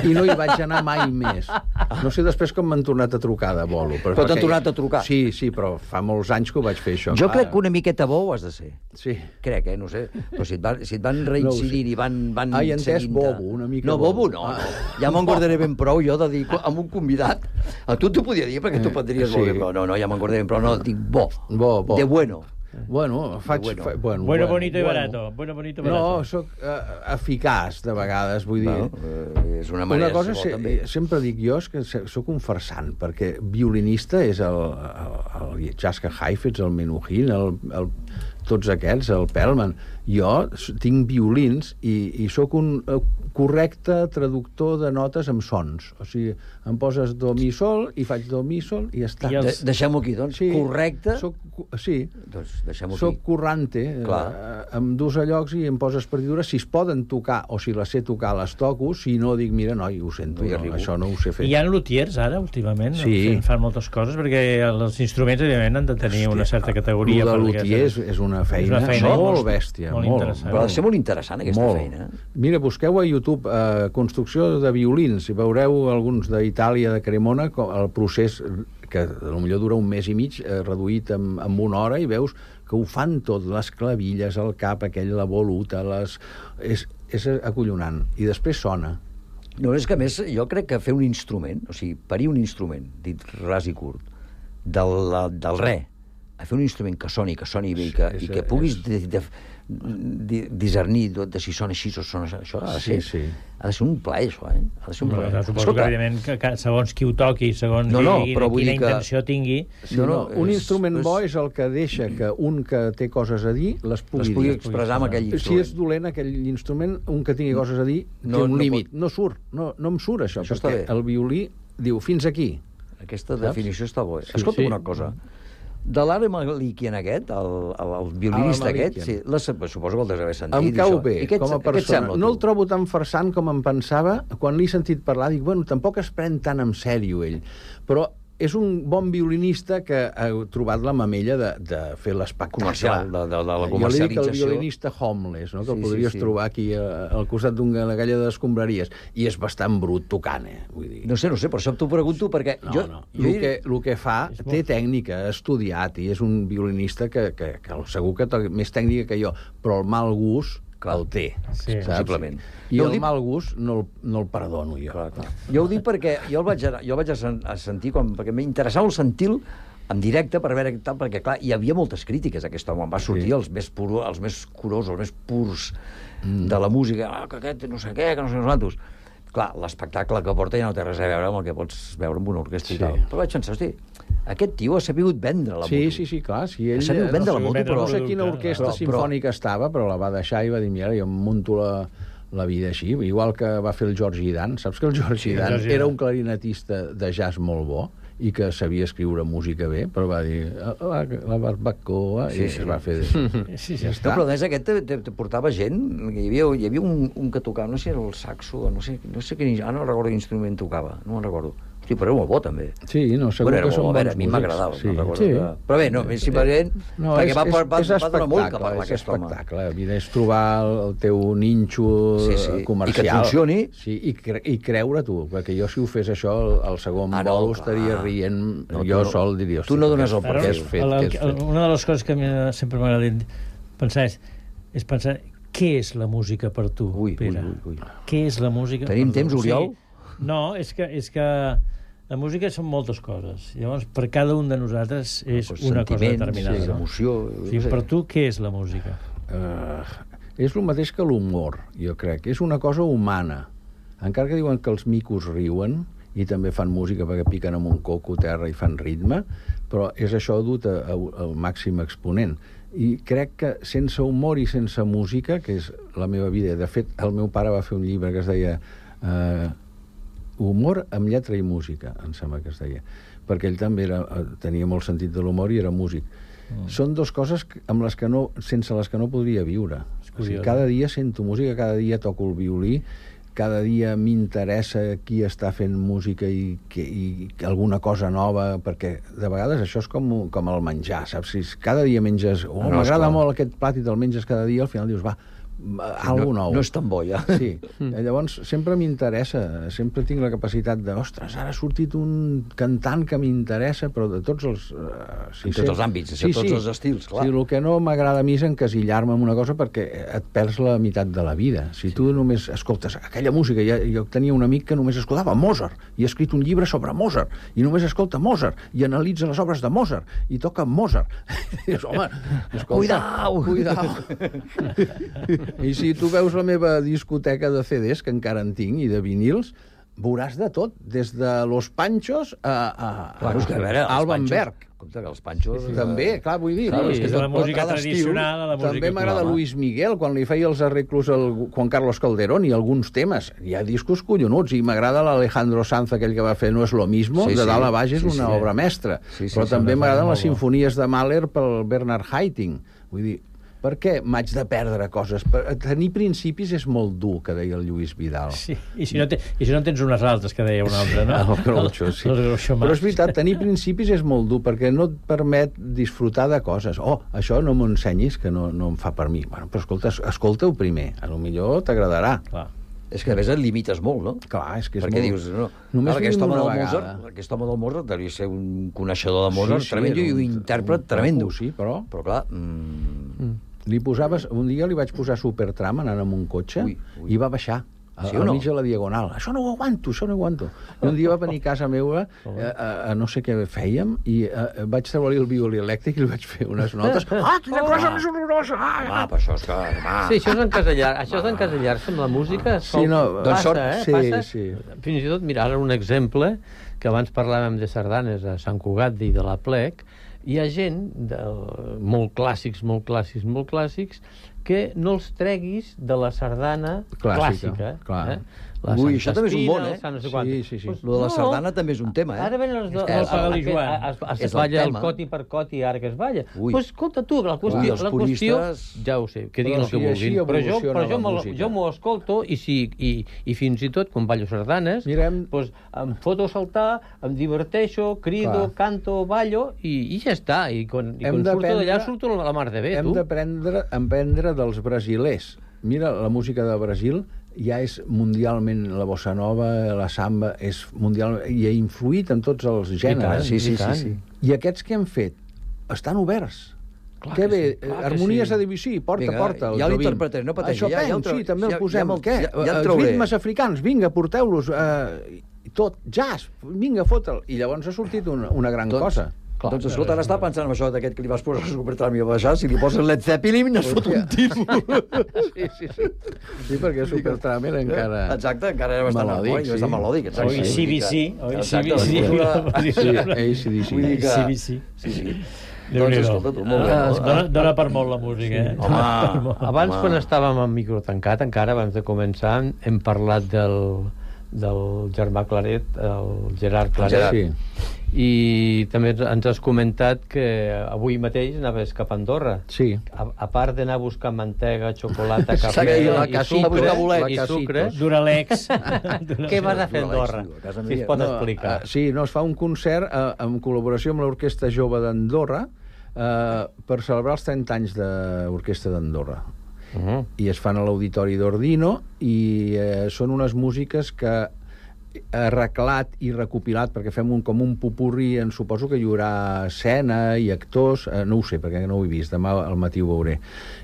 I no hi vaig anar mai més. No sé després com m'han tornat a trucar de bolo. Però t'han tornat a trucar? Sí, però fa molts anys que ho vaig fer, això. Jo crec que una miqueta bo ho has de ser. Sí. Crec, no sé. Però si et van reincidint i van he entès bobo, una mica. No, bobo no. Ja me'n guardaré ben prou jo de dir amb un convidat. A tu t'ho podia dir perquè tu prendries molt bé, però no, ja me'n guardaré ben prou. No, dic bo. De bueno. Bueno, bueno, bonito i barato. No, sóc eficaç de vegades, vull dir... És una manera de ser bo, també. Sempre dic jo que sóc un farsant, perquè violinista és el Jaska Heifetz, el Menuhin, tots aquests, el Perlman. Jo tinc violins i sóc un correcte traductor de notes amb sons. O sigui, em poses do, mi, sol, i faig do, mi, sol, i ja està. Deixem-ho aquí, doncs. Correcte? Sí. Doncs deixem-ho aquí. Soc corrante, em dus a llocs i em poses partitures. Si es poden tocar, o si les sé tocar, les toco. Si no, dic, mira, noi, ho sento, això no ho sé fer. Hi ha lutiers, ara, últimament, fan moltes coses, perquè els instruments, evidentment, han de tenir una certa categoria. El de lutier és una feina molt bèstia. Molt interessant. Però ha de ser molt interessant, aquesta feina. Mira, busqueu a YouTube construcció de violins i veureu alguns d'Itàlia, de Cremona, el procés que potser dura un mes i mig, reduït en una hora, i veus que ho fan tot, les clavilles, el cap aquell, la voluta, és acollonant. I després sona. No, és que a més jo crec que fer un instrument, o sigui, parir un instrument, dit ras i curt, del res, a fer un instrument que soni bé i que puguis discernir de si sona així o sona això, ha de ser un plaer, això, ha de ser un plaer. Suposo que, evidentment, que segons qui ho toqui, segons quina intenció tingui... Un instrument bo és el que deixa que un que té coses a dir les pugui expressar amb aquell instrument. Si és dolent aquell instrument, un que tingui coses a dir té un límit. No surt, no em surt això, perquè el violí diu fins aquí. Aquesta definició està bona. Escolta una cosa. De l'Ale Malikian aquest, el violinista aquest, suposo que el deus haver sentit. Em cau bé, com a persona. No el trobo tan farsant com em pensava. Quan l'he sentit parlar, dic, bueno, tampoc es pren tan en sèrio ell. Però és un bon violinista que ha trobat la mamella de fer l'espectacle. Comercial, de la Jo li dic comercialització. el violinista homeless, no? Que el Sí, podries sí. trobar aquí al costat d'una galla d'escombraries. I és bastant brut tocant, Vull dir... No sé, per això t'ho pregunto, perquè No. El que fa, té tècnica, ha estudiat, i és un violinista que segur que té més tècnica que jo, però el mal gust el té, saps? Possiblement. I Jo el dic- mal gust no el perdono jo. Clar. Jo ho dic perquè jo el vaig a sentir, perquè m'interessava el sentir-lo en directe per veure què tal, perquè, clar, hi havia moltes crítiques a aquest home. Em va sortir els més curosos, els més purs de la música, que aquest no sé què, que no sé quantos. Clar, l'espectacle que porta ja no té res a veure amb el que pots veure amb una orquestra i tal. Però vaig pensar, hosti, aquest tio ha sabut vendre la moto. Sí, clar. Si ell, ha sabut vendre la moto, però... No sé quina orquestra simfònica estava, però la va deixar i va dir, mira, jo em munto la vida així, igual que va fer el George Dan. Saps que el George Dan era un clarinetista de jazz molt bo i que sabia escriure música bé, però va dir la barbacoa i es va fer... Ja està. No, però a més aquest te portava gent, hi havia un que tocava, no sé si era el saxo, no sé quin, no recordo quin instrument tocava, no me'n recordo. Hosti, però era molt bo, també. Sí, no, segur que són bons músics. A mi m'agradava, no recordo. Sí. Però bé, no, simplement, perquè va donar molt que parlar és aquest home. espectacle. Mira, és trobar el teu ninxo comercial. I que et funcioni. Sí, i creure tu, perquè jo si ho fes això, el segon vol estaria rient, jo sol diria... Tu no dones el per què és fet. Una de les coses que sempre m'agrada pensar és pensar què és la música per tu, Pere. Què és la música per tu? Tenim temps, Oriol? No, és que la música són moltes coses. Llavors, per cada un de nosaltres és una cosa determinada. Sí, emoció... Per tu, què és la música? És el mateix que l'humor, jo crec. És una cosa humana. Encara que diuen que els micos riuen i també fan música perquè piquen amb un coco a terra i fan ritme, però és això dut al màxim exponent. I crec que sense humor i sense música, que és la meva vida... De fet, el meu pare va fer un llibre que es deia... Humor amb lletra i música, em sembla que es deia, perquè ell també tenia molt sentit de l'humor i era músic. Són dues coses sense les que no podria viure. O sigui, cada dia sento música, cada dia toco el violí, cada dia m'interessa qui està fent música i alguna cosa nova, perquè de vegades això és com el menjar, saps? Si cada dia menges... m'agrada molt aquest plat i te'l menges cada dia, al final dius, va, algo nou. No és tan bo, ja. Sí. Llavors, sempre m'interessa, sempre tinc la capacitat de, ostres, ara ha sortit un cantant que m'interessa, però de tots els... En tots els àmbits, de tots els estils, clar. Sí, el que no m'agrada a mi és encasillar-me en una cosa perquè et perds la meitat de la vida. Si tu només escoltes aquella música... Jo tenia un amic que només escoltava Mozart i ha escrit un llibre sobre Mozart i només escolta Mozart i analitza les obres de Mozart i toca Mozart. I dius, home, escolta... Cuidao! I si tu veus la meva discoteca de CDs, que encara en tinc, i de vinils, veuràs de tot, des de Los Panchos a Alban Berg. Compte que els Panchos... També, clar, vull dir... Sí, de la música tradicional a la música també m'agrada Luis Miguel, quan li feia els arreglos al Juan Carlos Calderón i alguns temes. Hi ha discos collonuts, i m'agrada l'Alejandro Sanz, aquell que va fer No es lo mismo, de dalt a baix és una obra mestra. Però també m'agraden les sinfonies de Mahler pel Bernard Haitink. Vull dir, per què m'haig de perdre coses? Tenir principis és molt dur, que deia el Lluís Vidal. Sí, i si no tens unes altres, que deia un altre, no? El Groucho, sí. Però és veritat, tenir principis és molt dur, perquè no et permet disfrutar de coses. Això no m'ho ensenyis, que no em fa per mi. Bueno, però escolta-ho primer, potser t'agradarà. Clar. És que a més et limites molt, no? Clar, és que és perquè molt... dius, no, només aquest home una del vegada. Aquest home del Mozart devia ser un coneixedor de Mozart tremendo i un intèrpret tremendo. Sí, però clar... Li posaves... Un dia li vaig posar Supertram anant amb un cotxe i va baixar al mig de la Diagonal. Això no ho aguanto. I un dia va venir a casa meva a no sé què fèiem i vaig treure-li el violí elèctric i li vaig fer unes notes. Quina cosa més horrorosa! Però això és que... Sí, això és encasellar-se amb la música. Sí, no, passa. Sí. Fins i tot, mira, ara un exemple, que abans parlàvem de sardanes a Sant Cugat i de la Plec, hi ha gent molt clàssics, que no els treguis de la sardana clàssica. la Ui, Santa això també és un bon, Espina, no sé quant. Sí. Lo de la sardana també és un tema, Ara venen els dos. És Es el balla el tema. coti per coti, ara que es balla. Ui. Pues escolta tu, la Ui, qüestió, els la qüestió puristes- ja ho sé, que diguin Però el que si així vulguin. Però evoluciona la música. jo m'ho escolto i fins i tot, quan ballo sardanes, pues, em foto a saltar, em diverteixo, crido, canto, ballo i ja està. I quan surto d'allà surto la mar de bé, Hem tu. d'aprendre dels brasilers. Mira, la música de Brasil ja és mundialment, la bossa nova, la samba, és mundial, i ha influït en tots els gèneres. Sí. I aquests que hem fet estan oberts. Què bé, harmonies a Debussy, porta. Ja l'interpretaré, no pateixi. Això sí, també el posem. Què? Ja el trauré. Ritmes africans, vinga, porteu-los. Tot, jazz, vinga, fota'l. I llavors ha sortit una gran cosa. Doncs escolta, ara està pensant en això d'aquest que li vas posar a Supertramp i a baixar, si li poses Led Zeppelin es fot un tiro. Sí, perquè Supertramp era encara... Exacte, encara era bastant melòdic. O ACDC. ACDC. Sí. Doncs escolta tu, molt bé. Dóna per molt la música, eh? Abans, quan estàvem en micro tancat, encara abans de començar, hem parlat del germà Claret, el Gerard Claret. I també ens has comentat que avui mateix anaves cap a Andorra. Sí. A part d'anar a buscar mantega, xocolata, S'ha cafè dit i sucre, Duralex. què vas a fer a Andorra? Si es pot explicar. Sí, es fa un concert en col·laboració amb l'Orquestra Jove d'Andorra per celebrar els 30 anys de l'Orquestra d'Andorra. I es fan a l'Auditori d'Ordino i són unes músiques que arreglat i recopilat, perquè fem com un popurri, suposo que hi haurà escena i actors, no ho sé, perquè no ho he vist, demà al matí ho veuré.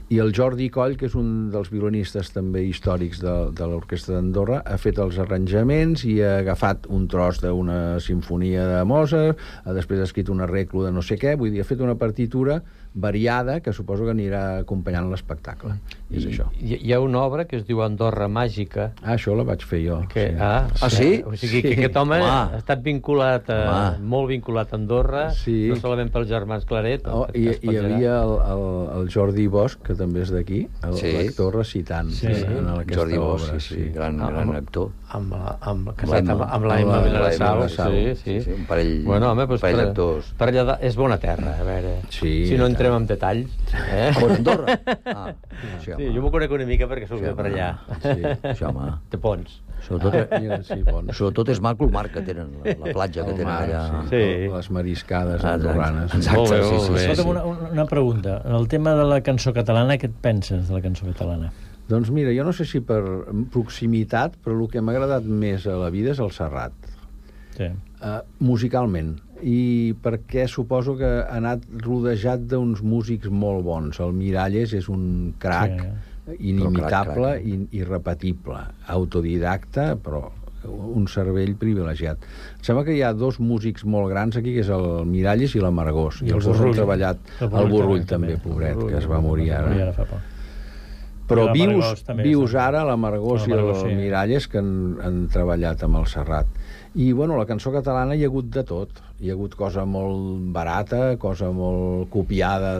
I el Jordi Coll, que és un dels violinistes també històrics de l'Orquestra d'Andorra, ha fet els arranjaments i ha agafat un tros d'una sinfonia de Mozart, després ha escrit un arreglo de no sé què, vull dir, ha fet una partitura variada que suposo que anirà acompanyant l'espectacle. És això. Hi ha una obra que es diu Andorra Màgica. Això la vaig fer jo. Sí? O sigui, que aquest home ha estat vinculat, molt vinculat a Andorra, no solament pels germans Claret. I hi havia el Jordi Bosch, que també és d'aquí, l'actor recitant en aquesta obra. Sí, gran actor. Casat amb l'Aima Vilassau. Sí. Un parell d'actors. Per allà és bona terra, a veure. Si no entrem en detalls. On, Andorra? Sí, jo m'ho conec una mica perquè soc de per allà. Sí, home. De Pons. Sobretot és maco el mar que tenen, la platja que tenen allà. Les mariscades andorranes. Exacte, sí. Una pregunta. En el tema de la cançó catalana, què et penses de la cançó catalana? Doncs mira, jo no sé si per proximitat, però el que m'ha agradat més a la vida és el Serrat. Musicalment. I perquè suposo que ha anat rodejat d'uns músics molt bons. El Miralles és un crac inimitable i irrepetible. Autodidacta, però un cervell privilegiat. Em sembla que hi ha dos músics molt grans aquí, que és el Miralles i la Margós. I els dos han treballat. El Borrull també, pobret, que es va morir ara. Però vius ara, la Margós i el Miralles, que han treballat amb el Serrat. I, bueno, la cançó catalana hi ha hagut de tot. Hi ha hagut cosa molt barata, cosa molt copiada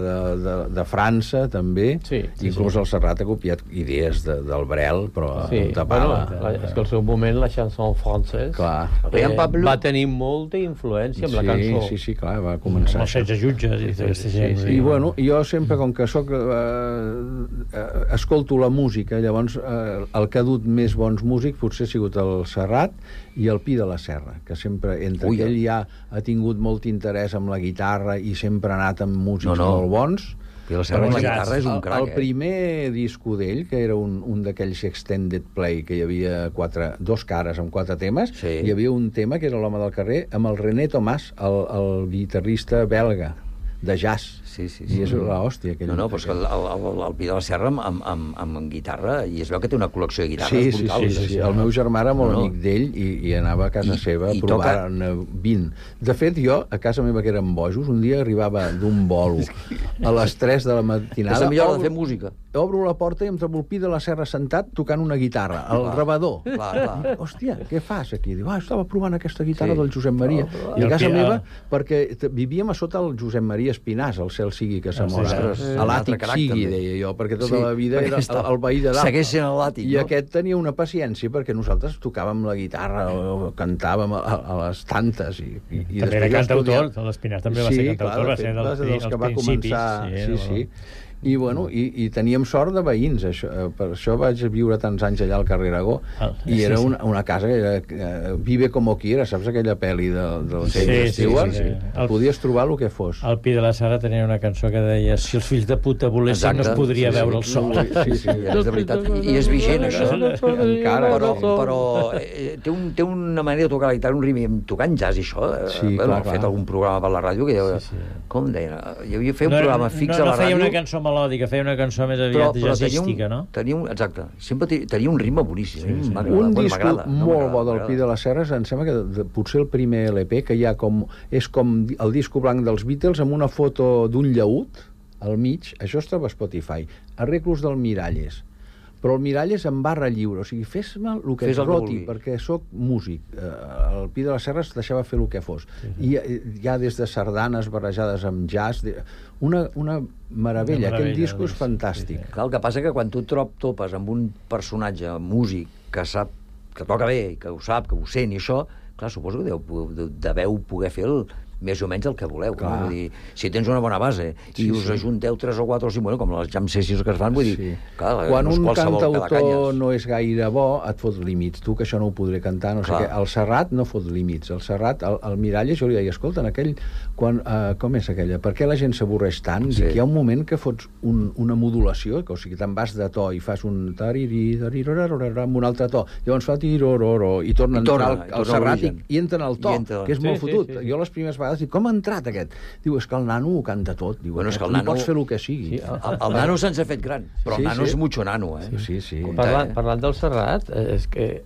de França, també. Inclús el Serrat ha copiat idees del Brel, però tapava. És que al seu moment la chanson française va tenir molta influència amb la cançó. Sí, clar, va començar. Els 16 jutges i aquesta gent. I, bueno, jo sempre, com que escolto la música, llavors el que ha dut més bons músics potser ha sigut el Serrat i el Pi de la Serra, que sempre, entre ell ja ha tingut molt interès amb la guitarra i sempre ha anat amb músics molt bons. Pi de la Serra amb la guitarra és un crac, El primer disco d'ell, que era un d'aquells extended play, que hi havia dos cares amb 4 temes, hi havia un tema que era l'Home del carrer, amb el René Thomas, el guitarrista belga de jazz. I és l'hòstia. No, però és que el Pi de la Serra amb guitarra, i es veu que té una col·lecció de guitarres brutals. Sí. El meu germà era molt amic d'ell i anava a casa seva a provar 20. De fet, jo, a casa meva, que eren bojos, un dia arribava d'un bolo a les 3 de la matinada. És la millor hora de fer música. obro la porta i em trobo el Pi de la Serra sentat tocant una guitarra, el rebador. Clar. Hòstia, què fas aquí? Diu, estava provant aquesta guitarra Sí. del Josep Maria. I I a el casa Pi- meva, perquè vivíem a sota el Josep Maria Espinàs, el cel sigui que s'amora. sí. A l'àtic Un altre sigui, caràcter, deia jo, perquè tota Sí, la vida perquè era estava- el veí de dalt. segueix sent a l'àtic, I no? aquest tenia una paciència, perquè nosaltres tocàvem la guitarra o cantàvem a les tantes. I També era cantautor, l'Espinàs també va ser cantautor, va ser dels que va principis. començar... Sí. I, bueno, i teníem sort de veïns, això, per això vaig viure tants anys allà al carrer Aragó, i era una casa que era vive como quiera, saps aquella pel·li del James Stewart? Podies trobar el que fos. El Pi de la Serra tenia una cançó que deia si els fills de puta volessin no es podria veure el sol. Sí, és de veritat. I és vigent, això. Encara. Però té una manera de tocar la guitarra, un ritme, tocant jazz i això. Sí, Bueno, clar. ha fet algun programa per la ràdio que com deia? Jo havia fet un programa fix a la No feia ràdio. una cançó melòdica, feia una cançó més aviat jazzística, no? Exacte. Sempre tenia un ritme boníssim. Un disc molt bo del Pi de les Serres, em sembla que potser el primer LP, que hi ha és com el disco blanc dels Beatles amb una foto d'un llaüt al mig, això es troba a Spotify, arreglos del Miralles, però el Miralles en barra lliure, o sigui, fes-me el que et roti, perquè sóc músic. El Pi de les Serres deixava fer el que fos. I ja des de sardanes barrejades amb jazz, una meravella. Aquell disco és fantàstic. Clar, el que passa que quan tu topes amb un personatge músic que sap, que toca bé, que ho sap, que ho sent i això, clar, suposo que deveu poder fer més o menys el que voleu. No? Vull dir, si tens una bona base i us ajunteu 3 o 4 o 5, bueno, com les jam sessions que es fan, vull dir, clar, quan no és un qualsevol cantautor Cadacanyes. no és gaire bo, et fot límits. Tu, que això no ho podré cantar, no sé què. El Serrat no fot límits. El Serrat, el Miralles, jo li deia, escolta, com és aquella? Per què la gent s'avorreix tant? Dic, hi ha un moment que fots una modulació, que, o sigui, te'n vas de to i fas un tariri, amb un altre to, llavors fa tirororo, i torna a entrar el Serrat i entra en el to, que és molt fotut. Jo les primeres vegades dic, com ha entrat aquest? Diu, és que el nano ho canta tot. Diu, Bueno, és que el no nano- pots fer el que sigui. El nano se'ns ha fet gran, però el nano és mucho nano, eh? Sí. Parlant del Serrat, és que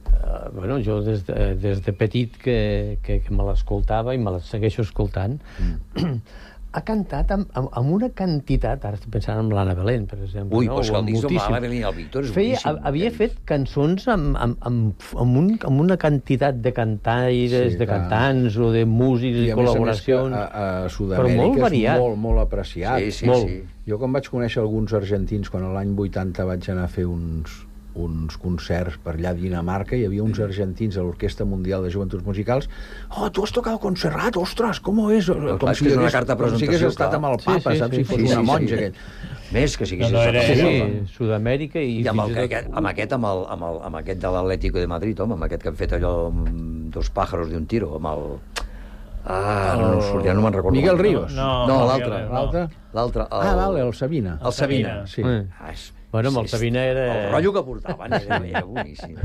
bueno, jo des de petit que me l'escoltava i me la segueixo escoltant, ha cantat amb una quantitat, ara estic pensant en l'Anna Belén, per exemple. Ui, no? però és que el disc de Moltíssim. l'Anna Belén i el Víctor és boníssim. Havia fet cançons amb una quantitat de cantaires, de cantants o de músics i a més col·laboracions. a però Sud-amèrica molt variat. és molt apreciat. Sí, molt. Jo quan vaig conèixer alguns argentins, quan l'any 80 vaig anar a fer uns concerts per allà a Dinamarca, hi havia uns argentins a l'Orquestra Mundial de Joventuts Musicals. Oh, tu has tocado con Serrat, ostres, com és? Clar, és una carta de com si hagués presentació, estat clar. amb el papa, saps? Si fos una monja, aquell. Més que si hagués No, estat era Sud-amèrica i amb fins i tot... amb aquest de l'Atlético de Madrid, home, amb aquest que han fet allò amb 2 pájaros de un tiro, amb el... ja no me'n recordo. Miguel Ríos. No, l'altre. L'altre. Vale, el Sabina. El Sabina. Sí. Bueno, amb el Sabina era... El rotllo que portaven era boníssim.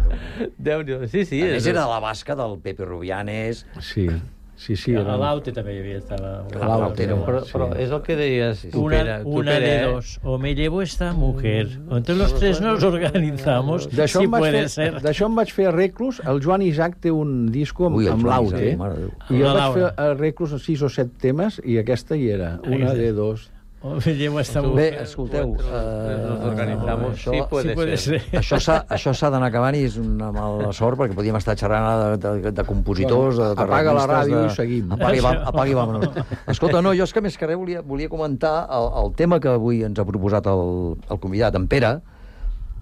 Déu-n'hi-do, sí. A més, era de la basca del Pepe Rubianes. Sí. A l'Aute també hi havia estava... Però és el que deies, tu, Pere. Una de dos. O me llevo esta mujer. O entre los tres nos organizamos, si puede ser. D'això em vaig fer arreglos. El Joan Isaac té un disco amb l'Aute. I jo vaig fer arreglos a 6 o 7 temes i aquesta hi era. Una de dos. O me llevo esta mujer. Bé, escolteu, això això s'ha d'anar acabant i és una mala sort perquè podíem estar xerrant de compositors, de apaga la ràdio i seguim. Apaga i vámonos. Escolta, no, jo és que més que res volia comentar el tema que avui ens ha proposat el convidat, en Pere,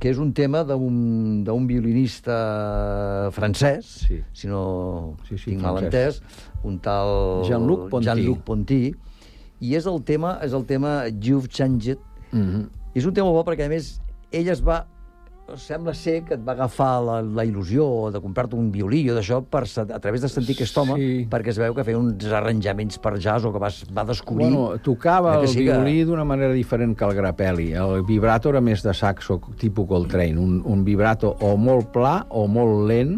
que és un tema d'un violinista francès, si no tinc mal entès, un tal Jean-Luc Ponty, i és el tema You've Changed. És un tema bo perquè, a més, ell sembla ser que et va agafar la il·lusió de comprar-te un violí o d'això a través de sentir aquest home, perquè es veu que feia uns arranjaments per jazz o que va descobrir... Bueno, tocava el violí d'una manera diferent que el Grappelli. El vibrato era més de saxo, tipus Coltrane. Un vibrato o molt pla o molt lent,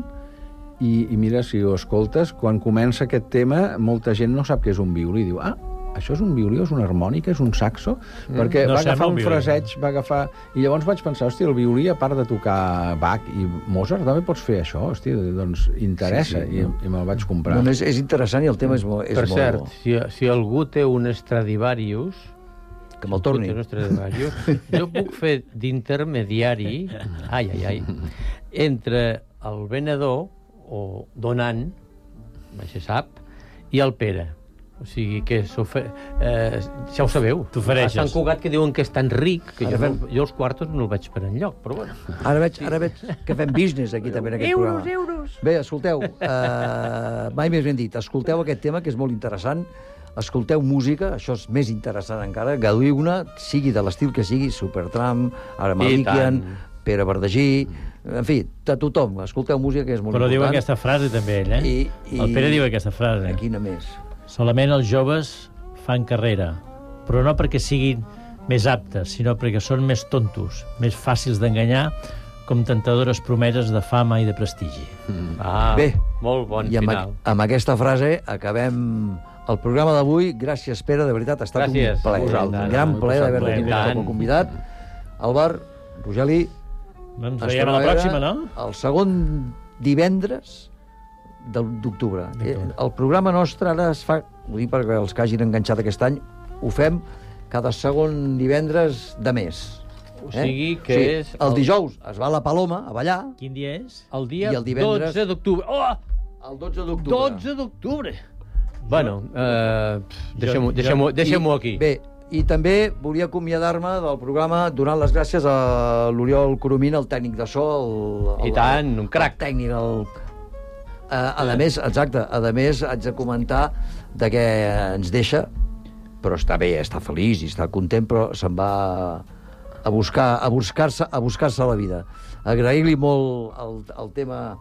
i mira, si ho escoltes, quan comença aquest tema, molta gent no sap què és un violí. Diu, això és un violí, és una harmònica, és un saxo? Perquè va agafar un fraseig, i llavors vaig pensar, hòstia, el violí, a part de tocar Bach i Mozart, també pots fer això, hòstia, doncs interessa, i me'l vaig comprar. És interessant i el tema és molt... Per cert, si algú té un Stradivarius, Que me'l torni. Jo puc fer d'intermediari, entre el venedor o donant, això sap, i el Pere. O sigui que ja ho sabeu. T'ofereixes. A Sant Cugat, que diuen que és tan ric, que jo els quartos no el veig per enlloc, però bueno. Ara veig que fem business aquí també en aquest programa. Euros! Bé, escolteu, mai més ben dit, escolteu aquest tema que és molt interessant, escolteu música, això és més interessant encara, gaudiu-ne, sigui de l'estil que sigui, Supertramp, Ara Malikian, Pere Verdagí, en fi, de tothom, escolteu música que és molt important. Però diu aquesta frase també ell, El Pere diu aquesta frase. Quina més? Solament els joves fan carrera, però no perquè siguin més aptes, sinó perquè són més tontos, més fàcils d'enganyar, com tentadores promeses de fama i de prestigi. Bé, molt bon final. Amb aquesta frase acabem el programa d'avui. Gràcies, Pere, de veritat, ha estat un plaer. Un gran plaer d'haver-te tingut com a convidat. Albert, Rogeli, ens veiem a la pròxima, no? El segon divendres d'octubre. El programa nostre ara es fa, ho dic perquè els que hagin enganxat aquest any, ho fem cada segon divendres de mes. O sigui que és... El dijous es va a la Paloma a ballar. Quin dia és? El dia i el divendres... 12 d'octubre. Oh! El 12 d'octubre. 12 d'octubre! Bueno, deixem-ho aquí. Bé, i també volia acomiadar-me del programa donant les gràcies a l'Oriol Coromina, el tècnic de so, I tant, un crac. El tècnic, a més, exacte, a més haig de comentar de què ens deixa, però està bé, està feliç i està content, però se'n va a buscar-se la vida. Agrair-li molt el tema,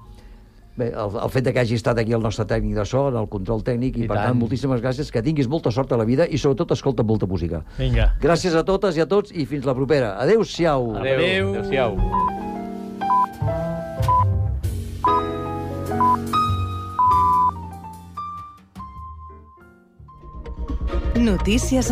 bé, el fet que hagi estat aquí el nostre tècnic de so, en el control tècnic, i per tant, moltíssimes gràcies, que tinguis molta sort a la vida i sobretot escolta molta música. Vinga. Gràcies a totes i a tots i fins la propera. Adéu-siau. Adéu-siau. Notícies